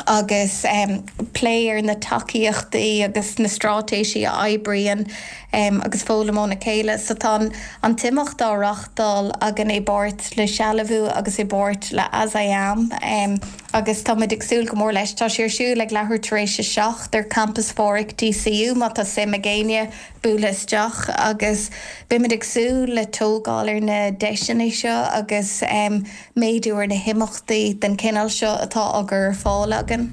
agus um, plé ar na tacaíochtaí agus na straitéisí a oibríonn um, agus foghlaim óna chéile, so tá an t-imeacht á reáchtáil againn i bpáirt le Sealbhú agus i bpáirt le As I Am um, agus táimid ag súil go mór leis tá sé ar siúl ag leathuair tar éis a seacht ar Campus Phádraig DCU má tá suim ag éinne bualadh isteach agus beimid ag súil le tógáil ar na deiseanna seo agus um, méadú ar na himeachtaí den chineál seo atá á gcur ar fáil againn.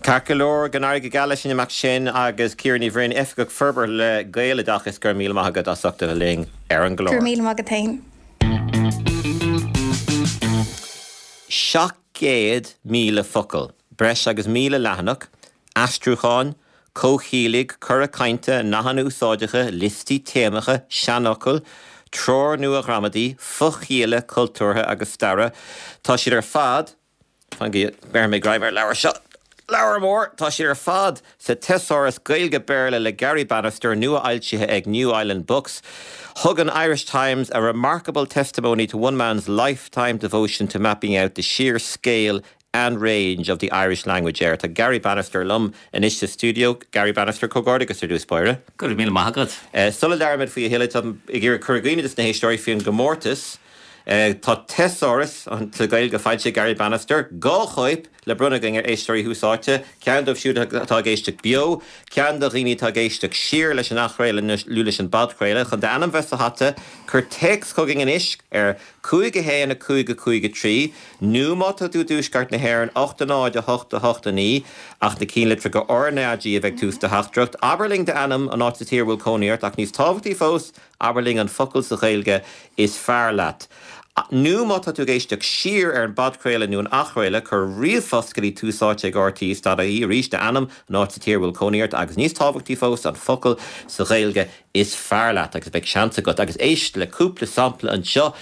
Ceart go leor go n-éirí go geal leis an imeacht sin agus Ciara Ní Bhroin Oifigeach Forbartha le Gaeloideachas go raibh míle maith agat as ucht a bheith linn ar an gclár. Go raibh míle maith agat féin. Seacht gcéad míle focal, breis agus míle leathanach, aistriúcháin, comhchiallaigh, cora cainte, nathanna úsáideacha, liostaí téamacha, seanfhocail, treoir nua ghramadaí, fochialla cultúrtha agus staire, tá siad ar fad, fan go mbeir mé greim ar an leabhar seo, leabhar mór, tá siad ar fad sa Tesáras Gaeilge-Béarla le Garry Bannister, nua-fhoilsithe ag New Island Books. Thug an Irish Times a remarkable testimony to one man's lifetime devotion to mapping out the sheer scale and range of the Irish language air. Tá Garry Bannister liom anois sa stiúideo. Garry Bannister, comhghairdeachas ar dtús báire. Go raibh míle maith agat. Sula labhraímid faoi a thuilleadh, táim ag iarraidh cur i gcuimhne dos na héisteoirí faoin gcomórtas. Tá Tesáras sa Ghaeilge foilsithe ag Garry Bannister, dhá chóip le bronnadh againn ar éisteoirí Thús Áite, ceann dóibh siúd atá ag éisteacht beo, ceann do dhaoine atá ag éisteacht siar leis an athchraoladh nó leis an bpodchraoladh. Chun d'ainm bheith sa hata, cuir téacs chugainn anois ar cúig a haon a cúig a cúig a trí, nó má tá tú i dtuaisceart na hÉireann, ocht a náid a hocht a hocht a naoi, ach na cinnlitreacha RnaG a bheidh ag tús do theachtaireacht. Abair linn d'ainm, an áit sa tír a bhfuil cónaí ort, ach níos tábhachtaí fós, Abair linn an focal sa Ghaeilge is fearr leat. Nó má tá tú ag éisteacht siar ar an bpodchraoladh nó an athchraoladh, cuir ríomhphost go dtí tús áite ag rte dot ie, arís, d'ainm, an áit sa tír a bhfuil cónaí ort agus níos tábhachtaí fós, an focal sa Ghaeilge is fearr leat agus beidh seans agat. Agus éist le cúpla sampla anseo,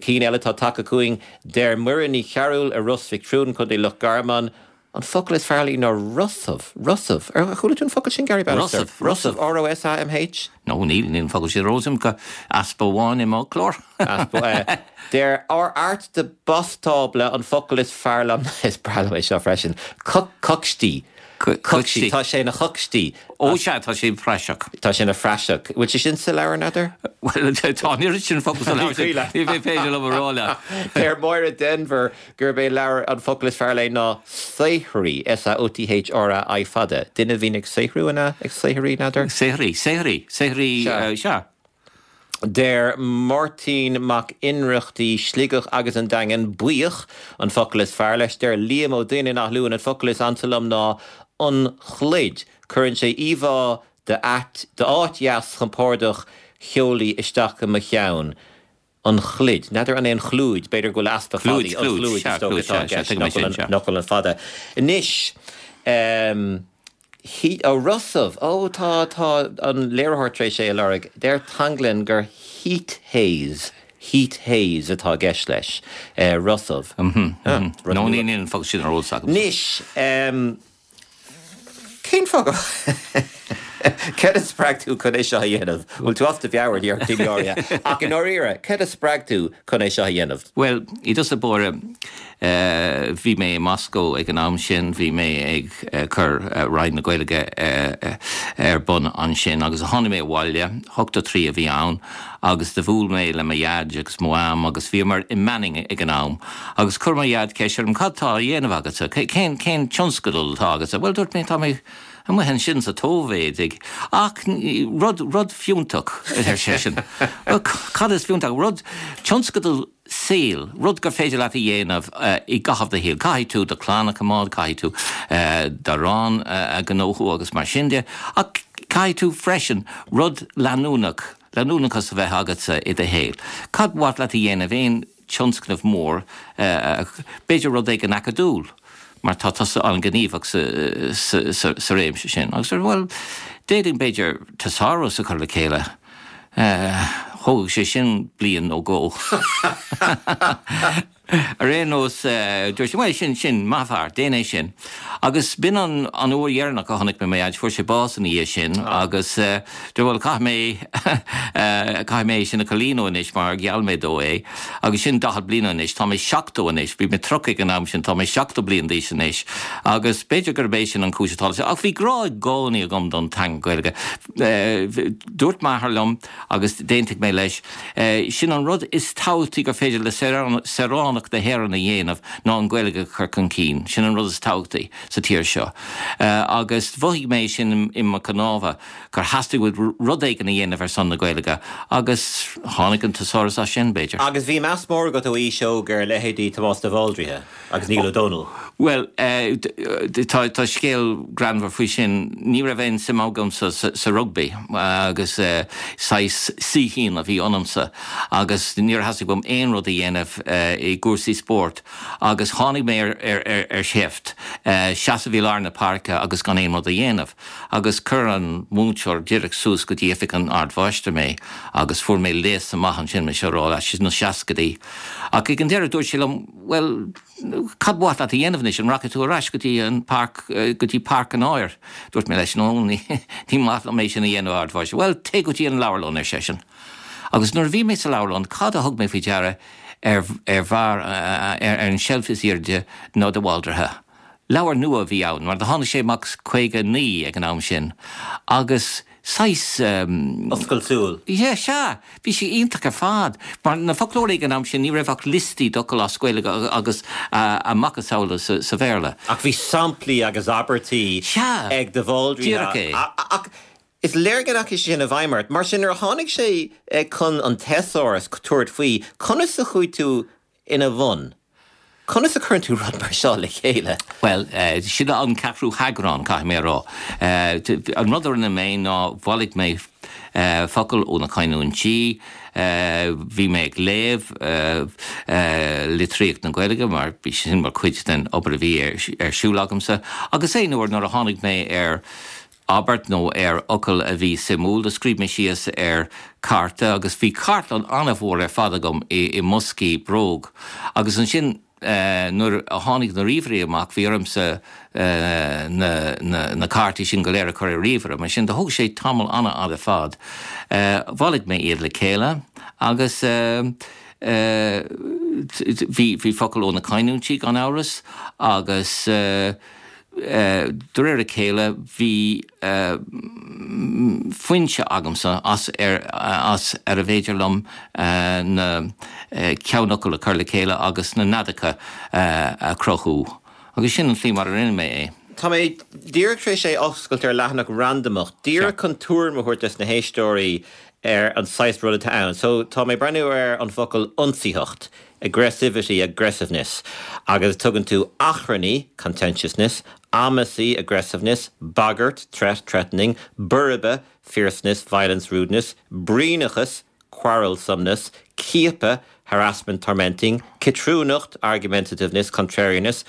cinn eile atá tagtha chugainn, deir Muireann Ní Chearúil i Ros Mhic Thriúin, Contae Loch Garman, An focal is fearr léi ná rosamh. Rosamh. Ar chuala tú an focal sin, Garry Bannister? Rosamh. Rosamh. R-O-S-A-M-H? No, níl, níl an focal sin ar eolas agam. Easpa amháin i m'fhoclóir. Easpa, eh. Deir ár Art de Bastábla an focal is fearr liom, is breá liom é seo freisin, coicstí. Coicstí. Tá sé ina choicstí. Ó sea, tá sé praiseach. Tá sé ina phraiseach. Bhfuil sé sin sa leabhar, n'fheadar? Bhuel, tá an oiread sin focal sa leabhar sin, ní féidir liom a rá leat. Deir Máire Denvir gurb é leabhar an focal is fearr léi ná saothraí, S-A-O-T-H-R-A-I fada. Duine a bhíonn ag saothrú, an ea? Ag saothraí, n'fheadar? Saothraí, saothraí, saothraí, sea. Deir Máirtín Mac Ionnrachtaigh, Sligeach agus an Daingean, buíoch an focal is fearr leis. Deir Liam Ó Duinn in Áth Luain, an focal is ansa liom ná an chluid. Cuireann sé íomhá d'áit dheas chompordach theolaí isteach i mo cheann. An chluid. N'fheadar an é an chlúid, b'fhéidir go bhfuil easpa fadaí. Clúid, clúid, sea, clúid, sea, sea, tuigim é sin, sea. Nach bhfuil an fada. Anois, He, ó Rosamh, ó tá, tá an léiritheoir tar éis é a lorg. Deir Tanglin gur heat haze, heat haze atá i gceist leis. Rosamh. Mhm, mhm. No, níl, níl an focal sin ar eolas agam. Anois, em, cén fáth go, céard a spreag tú chun é seo a dhéanamh? Bhfuil tú as do mheabhair, déarfadh daoine áirithe. Ach i ndáiríre, céard a spreag tú chun é seo a dhéanamh? Bhuel, i dtosach báire, Bhí mé i Moscó ag an am sin, bhí mé ag cur Roinn na Gaeilge ar bun ansin agus tháinig mé abhaile, ochtó trí a bhí ann, agus do bhuail mé le mo dhaid agus mo mham agus bhíomar i Manning ag an am agus chuir mo dhaid ceist orm cad tá á dhéanamh agatsa, cén cén tionscadal atá agatsa? Bhuel dúirt mé tá mé amuigh ansin sa tSóivéid ag ach rud rud fiúntach ar seisean. Bhuel cad is fiúntach? Rud tionscadal saoil, rud gur féidir leat a dhéanamh i gcaitheamh do shaoil. Caithfidh tú do chlann a choimeád, caithfidh tú d'arán a ghnóthú agus mar sin de, ach caithfidh tú freisin rud leanúnach, leanúnachas a bheith agatsa i do shaol. Cad ba mhaith leat a dhéanamh, aon tionscnamh mór, b'fhéidir rud éigin acadúil, mar tá tusa an-ghníomhach sa réimse sin. Agus bhuel, d'fhéadfainn b'fhéidir teasáras a chur le chéile. Thógfadh sé sin bliain nó dhó. Ar aon nós dúirt sé bhuel sin sin maith an fear, déan é sin. Agus b'in an an uair dheireanach a chonaic mé mo dhaid, fuair sé bás ina dhiaidh sin agus dúirt bhuel caithfidh mé caithfidh mé é sin a chomhlíonadh anois mar gheall mé dó é. Agus sin daichead bliain anois, tá mé seachtó anois, bhí mé tríocha ag an am sin, tá mé seachtó bliain d'aois anois. Agus b'fhéidir gurb é sin an chúis atá leis. Ach bhí grá i gcónaí agam don teanga Gaeilge. Dúirt m'athair liom agus d'aontaigh mé leis, sin an rud is tábhachtaí gur féidir le saoránach na hÉireann a dhéanamh ná an Ghaeilge a chur chun cinn. Sin an rud is tábhachtaí sa tír seo. Agus mhothaigh mé sin i mo chnámha gur theastaigh uaim rud éigin a dhéanamh ar son na Gaeilge agus tháinig an teasáras as sin, b'fhéidir. Agus bhí meas mór agat ó aois óg ar leithéidí Tomás de Bhaldraithe agus Niall Ó Dónaill. Bhuel, tá tá scéal greannmhar faoi sin. Ní raibh aon suim agamsa sa rugbaí agus saghas saoithín a bhí ionamsa agus níor theastaigh uaim aon rud a dhéanamh i gcúrsaí spóirt agus tháinig mé ar ar ar ar sheift, seasamh i lár na páirce agus gan aon rud a dhéanamh. Agus chuir an múinteoir díreach suas go dtí oifig an Ardmháistir mé agus fuair mé léasadh maith ansin, mise a rá leat, sna seascaidí. Ach ag an deireadh dúirt sé liom, bhuel, cad ba mhaith leat a dhéanamh anois, an rachaidh tú ar ais go dtí an páirc, go dtí páirc an áir? Dúirt mé leis, no, ní ní maith liom é sin a dhéanamh, a Ardmháistir. Bhuel, téigh go dtí an leabharlann, ar seisean. Agus nuair a bhí mé sa leabharlann, cad a thug mé faoi deara ar ar bharr, ar an tseilf is airde ná de Bhaldraithe. Leabhar nua a bhí ann, mar do tháinig sé amach caoga a naoi ag an am sin, agus saghas. Oscailt súl. Yeah, sea! Bhí sé iontach ar fad. Mar na foclóirí ag an am sin, ní raibh ach liostaí d'fhocail as Gaeilge agus a macasamhla sa Bhéarla. Ach bhí samplaí agus abairtí Sea! ag de Bhaldraithe. Díreach é. Ach is léir go ndeachaigh sé sin i bhfeidhm ort. Mar sin, nuair a tháinig sé chun an teasáras tabhairt faoi, conas a chuaigh tú ina bhun? Conas a chuireann tú rud mar seo le chéile? Bhuel, sin an ceathrú heagrán, caithfidh mé a rá. An rud a rinne mé ná bhailigh mé focail ó na canúintí, bhí mé ag léamh litríocht na Gaeilge mar bhí sin mar chuid den obair a bhí ar siúl agamsa, agus aon uair nuair a tháinig mé ar abairt nó ar fhocal a bhí suimiúil, do scríobh mé síos ar chárta agus bhí cartlann an-mhór ar fad agam i mboscaí bróg. Agus ansin nuair a tháinig na ríomhairí amach bhí ormsa na na cártaí sin go léir a chur ar ríomhaire, mar sin do thóg sé tamall an-fhada fad. Bhailigh mé iad le chéile agus bhí bhí focail ó na canúintí gan amhras agus De réir a chéile bhí foinse agamsa as ar as ar a bhféidir liom na ceannfhocail a chur le chéile agus na neadacha a chruthú. Agus sin an tslí mar a rinne mé é. Tá mé díreach tar éis é a oscailt ar leathanach randamach, díreach chun tuairim a thabhairt dos na héisteoirí ar an saghas rud atá ann. So tá mé ag breathnú ar an focal ionsaitheacht, aggressivity, aggressiveness, agus tugann tú achrannaí, contentiousness, amasaí, aggressiveness, bagairt, threat, threatening, boirbe, fierceness, violence, rudeness, bruíonachas, quarrelsomeness, ciapadh, harassment, tormenting, ciotrúnacht, argumentativeness, contrariness,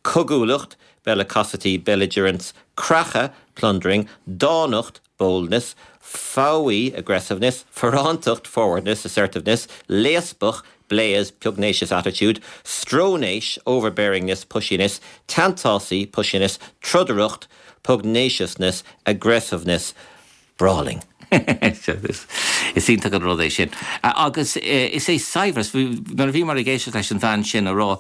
cogúlacht, bellicosity, belligerence, creachadh, plundering, dánacht, boldness, foghaí, aggressiveness, forrántacht, forwardness, assertiveness, léaspach, blase, pugnacious attitude, stróinéis, overbearingness, pushiness, teanntásaí, pushiness, trodaireacht, pugnaciousness, aggressiveness, brawling. Is iontach an rud é sin. Agus is é saibhreas, nuair a bhíomar ag éisteacht leis an bhean sin a rá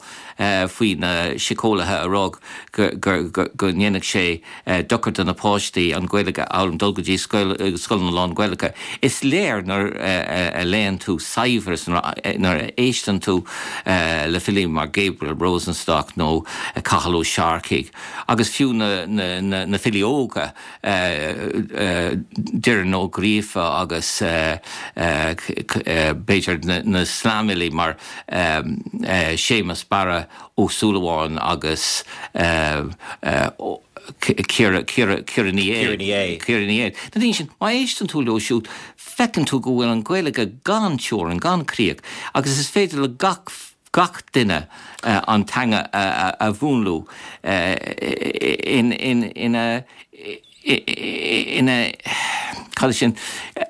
faoi na síceolaithe a rá go ndéanfadh sé dochar do na páistí an Ghaeilge a fhoghlaim, dul go dtí scoileanna lán-Ghaelacha, is léir nuair a léann tú saibhreas, nuair a éisteann tú le filí mar Gabriel Rosenstock nó Cathal Ó Searcaigh agus fiú na filí óga, Doireann Ní Ghríofa agus b'fhéidir na slamfhilí mar Séamus Barra Ó Súilleabháin agus Ciara Ciara Ní É. Ciara Ní É. Na daoine sin, má éisteann tú leo siúd, feiceann tú go bhfuil an Ghaeilge gan teorainn, gan críoch agus is féidir le gach gach duine an teanga a mhúnlú ina ina cad é sin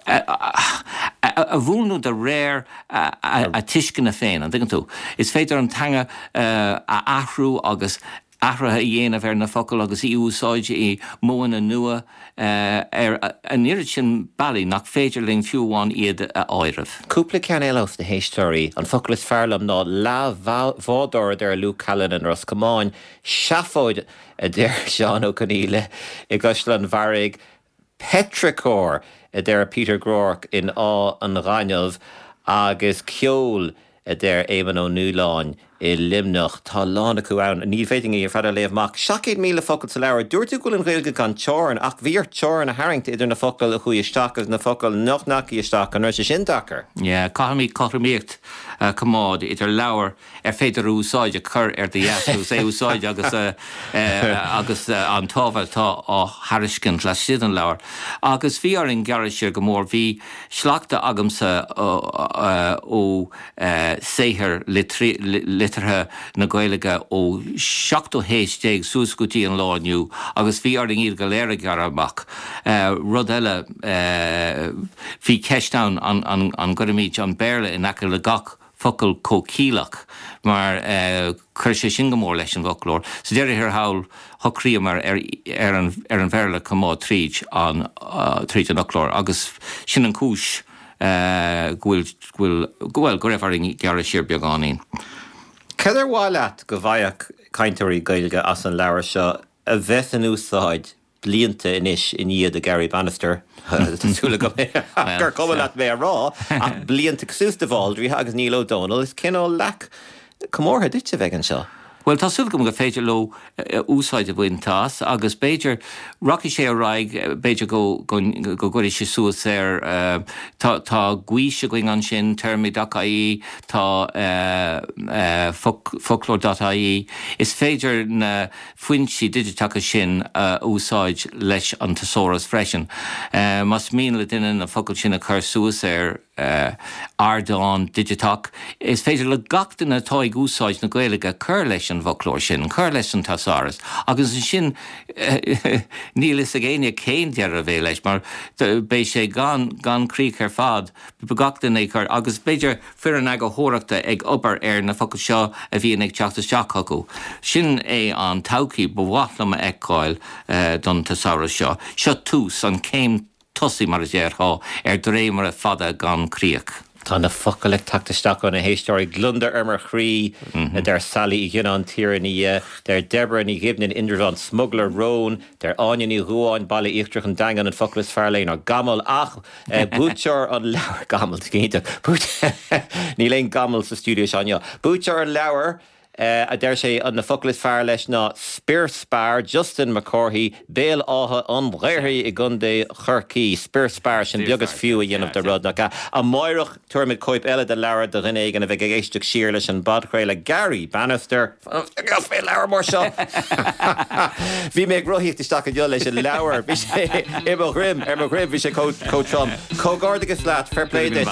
a a mhúnlú de réir a tuisceana féin, an dtuigeann tú. Is féidir an teanga a athrú agus athruithe a dhéanamh ar na focail agus í a úsáid i modhanna nua ar an oiread sin bealaí nach féidir linn fiú amháin iad a áireamh. Cúpla ceann eile ós na héisteoirí, an focal is fearr liom ná leathbhádóir a deir Luke Callanan i Ros Comáin, seafóid a deir Seán Ó Conghaile i gCaisleán Bharraigh, petrichor a deir Peter Groarke in Áth an Ghainimh agus ceol a deir Éamonn Ó Nualláin i Luimneach. Tá a lán acu ann. Ní fhéadfainn iad ar fad a léamh amach. Seacht gcéad míle focal sa leabhar. Dúirt tú go bhfuil an Ghaeilge gan teorainn, ach bhí ort teorainn a tharraingt idir na focail a chuaigh isteach agus na focail nach ndeachaigh isteach. An raibh sé sin deacair? Yeah, caithfimid cothromaíocht a choimeád idir leabhar ar féidir a úsáid a chur ar do dheasc agus é a úsáid agus agus an t-ábhar atá á thairiscint laistigh den leabhar. Agus bhí orainn gearradh siar go mór. Bhí sleachta agamsa ó saothair liteartha na Gaeilge ó seachtú haois déag suas go dtí an lá inniu agus bhí orainn iad go léir a ghearradh amach. Rud eile, bhí ceist ann an gcuirfimid an Béarla in aice le gach focal comhchiallach mar chuir sé sin go mór leis an bhfoclóir. Sa deireadh thiar thall, shocraíomar ar ar an ar an Bhéarla a choimeád tríd an tríd an fhoclóir agus sin an chúis go bhfuil go bhfuil bhuel go raibh orainn gearradh siar beagáinín. Cad ar mhaith leat go bhfaigheadh cainteoirí Gaeilge as an leabhar seo a bheas in úsáid blianta anois i ndiaidh do Garry Bannister, tá súil agam gur cuma leat mé a rá, ach blianta cosúil de Bhaldraithe agus Niall Ó Dónaill, is cineál leac comórtha duit a bheidh anseo. Bhuel, tá súil agam gur féidir leo úsáid a bhaint as agus b'fhéidir rachaidh sé ar aghaidh, b'fhéidir go go gcuirfidh sé suas ar, tá tá gaois againn ansin, téarmaí dot ie, tá foclóir dot ie, is féidir na foinsí digiteacha sin a úsáid leis an teasáras freisin. Más mian le duine na focail sin a chur suas ar ardán digiteach, is féidir le gach duine atá ag úsáid na Gaeilge cur leis an bhfoclóir sin, cur leis an teasáras agus ansin níl fhios ag éinne cén deireadh a bheidh leis mar beidh sé gan gan críoch ar fad, gach duine ag cur agus b'fhéidir foireann eagarthóireachta ag obair ar na focail seo a bhíonn ag teacht isteach chucu. Sin é an todhchaí ba mhaith liom a fheiceáil don teasáras seo. Seo tús, an chéim tosaigh, mar a déarfá, ar dréimire fada gan críoch. Tá na focail ag teacht isteach ó na héisteoirí. Gliondar ar mo chroí, a deir Sally Uí Ghionnáin, Tír an Fhia, deir Deborah Ní Ghiobnáin, Indreabhán, Smugairle róin, deir Áine Ní Dhubháin, Baile Íochtarach an Daingean, an focal is fearr léi ná gamal ach buaiteoir an leabhair, gamal, iontach, níl aon gamal sa stiúideo seo inniu, buaiteoir an leabhair, a deir sé, na focail is fearr leis ná spior spear, Justin Mac Cárthaigh, Béal Átha an Ghaorthaidh i gContae Chorcaí. Spior spear, sin beag is fiú a dhéanamh de rud, nach ea? Amáireach, tabharfaimid cóip eile de leabhar do dhuine éigin a bheidh ag éisteacht siar leis an bpodchraoladh. Garry Bannister, Fé leabhar mór seo! Bhí mé ag rothaíocht isteach inniu leis an leabhar, bhí sé i mo dhroim, ar mo dhroim, bhí sé chomh trom. Comhghairdeachas leat, fair play duit.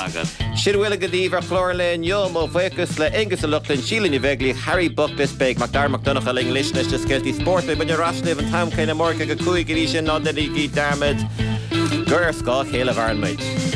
Sin a bhfuil againn daoibh ar chlár an lae inniu. Mo bhuíochas le Aengus Ó Lochlainn, Síle Ní Bheaglaoich, Harry Buckless, beidh Mac Dara Mac Donncha linn anois leis na scéaltaí spóirt. Beidh muid ar ais libh an t-am céanna amárach ag a cúig. Go dtí sin, ná déanaigí dearmad gur ar scáth a chéile a mhaireann muid.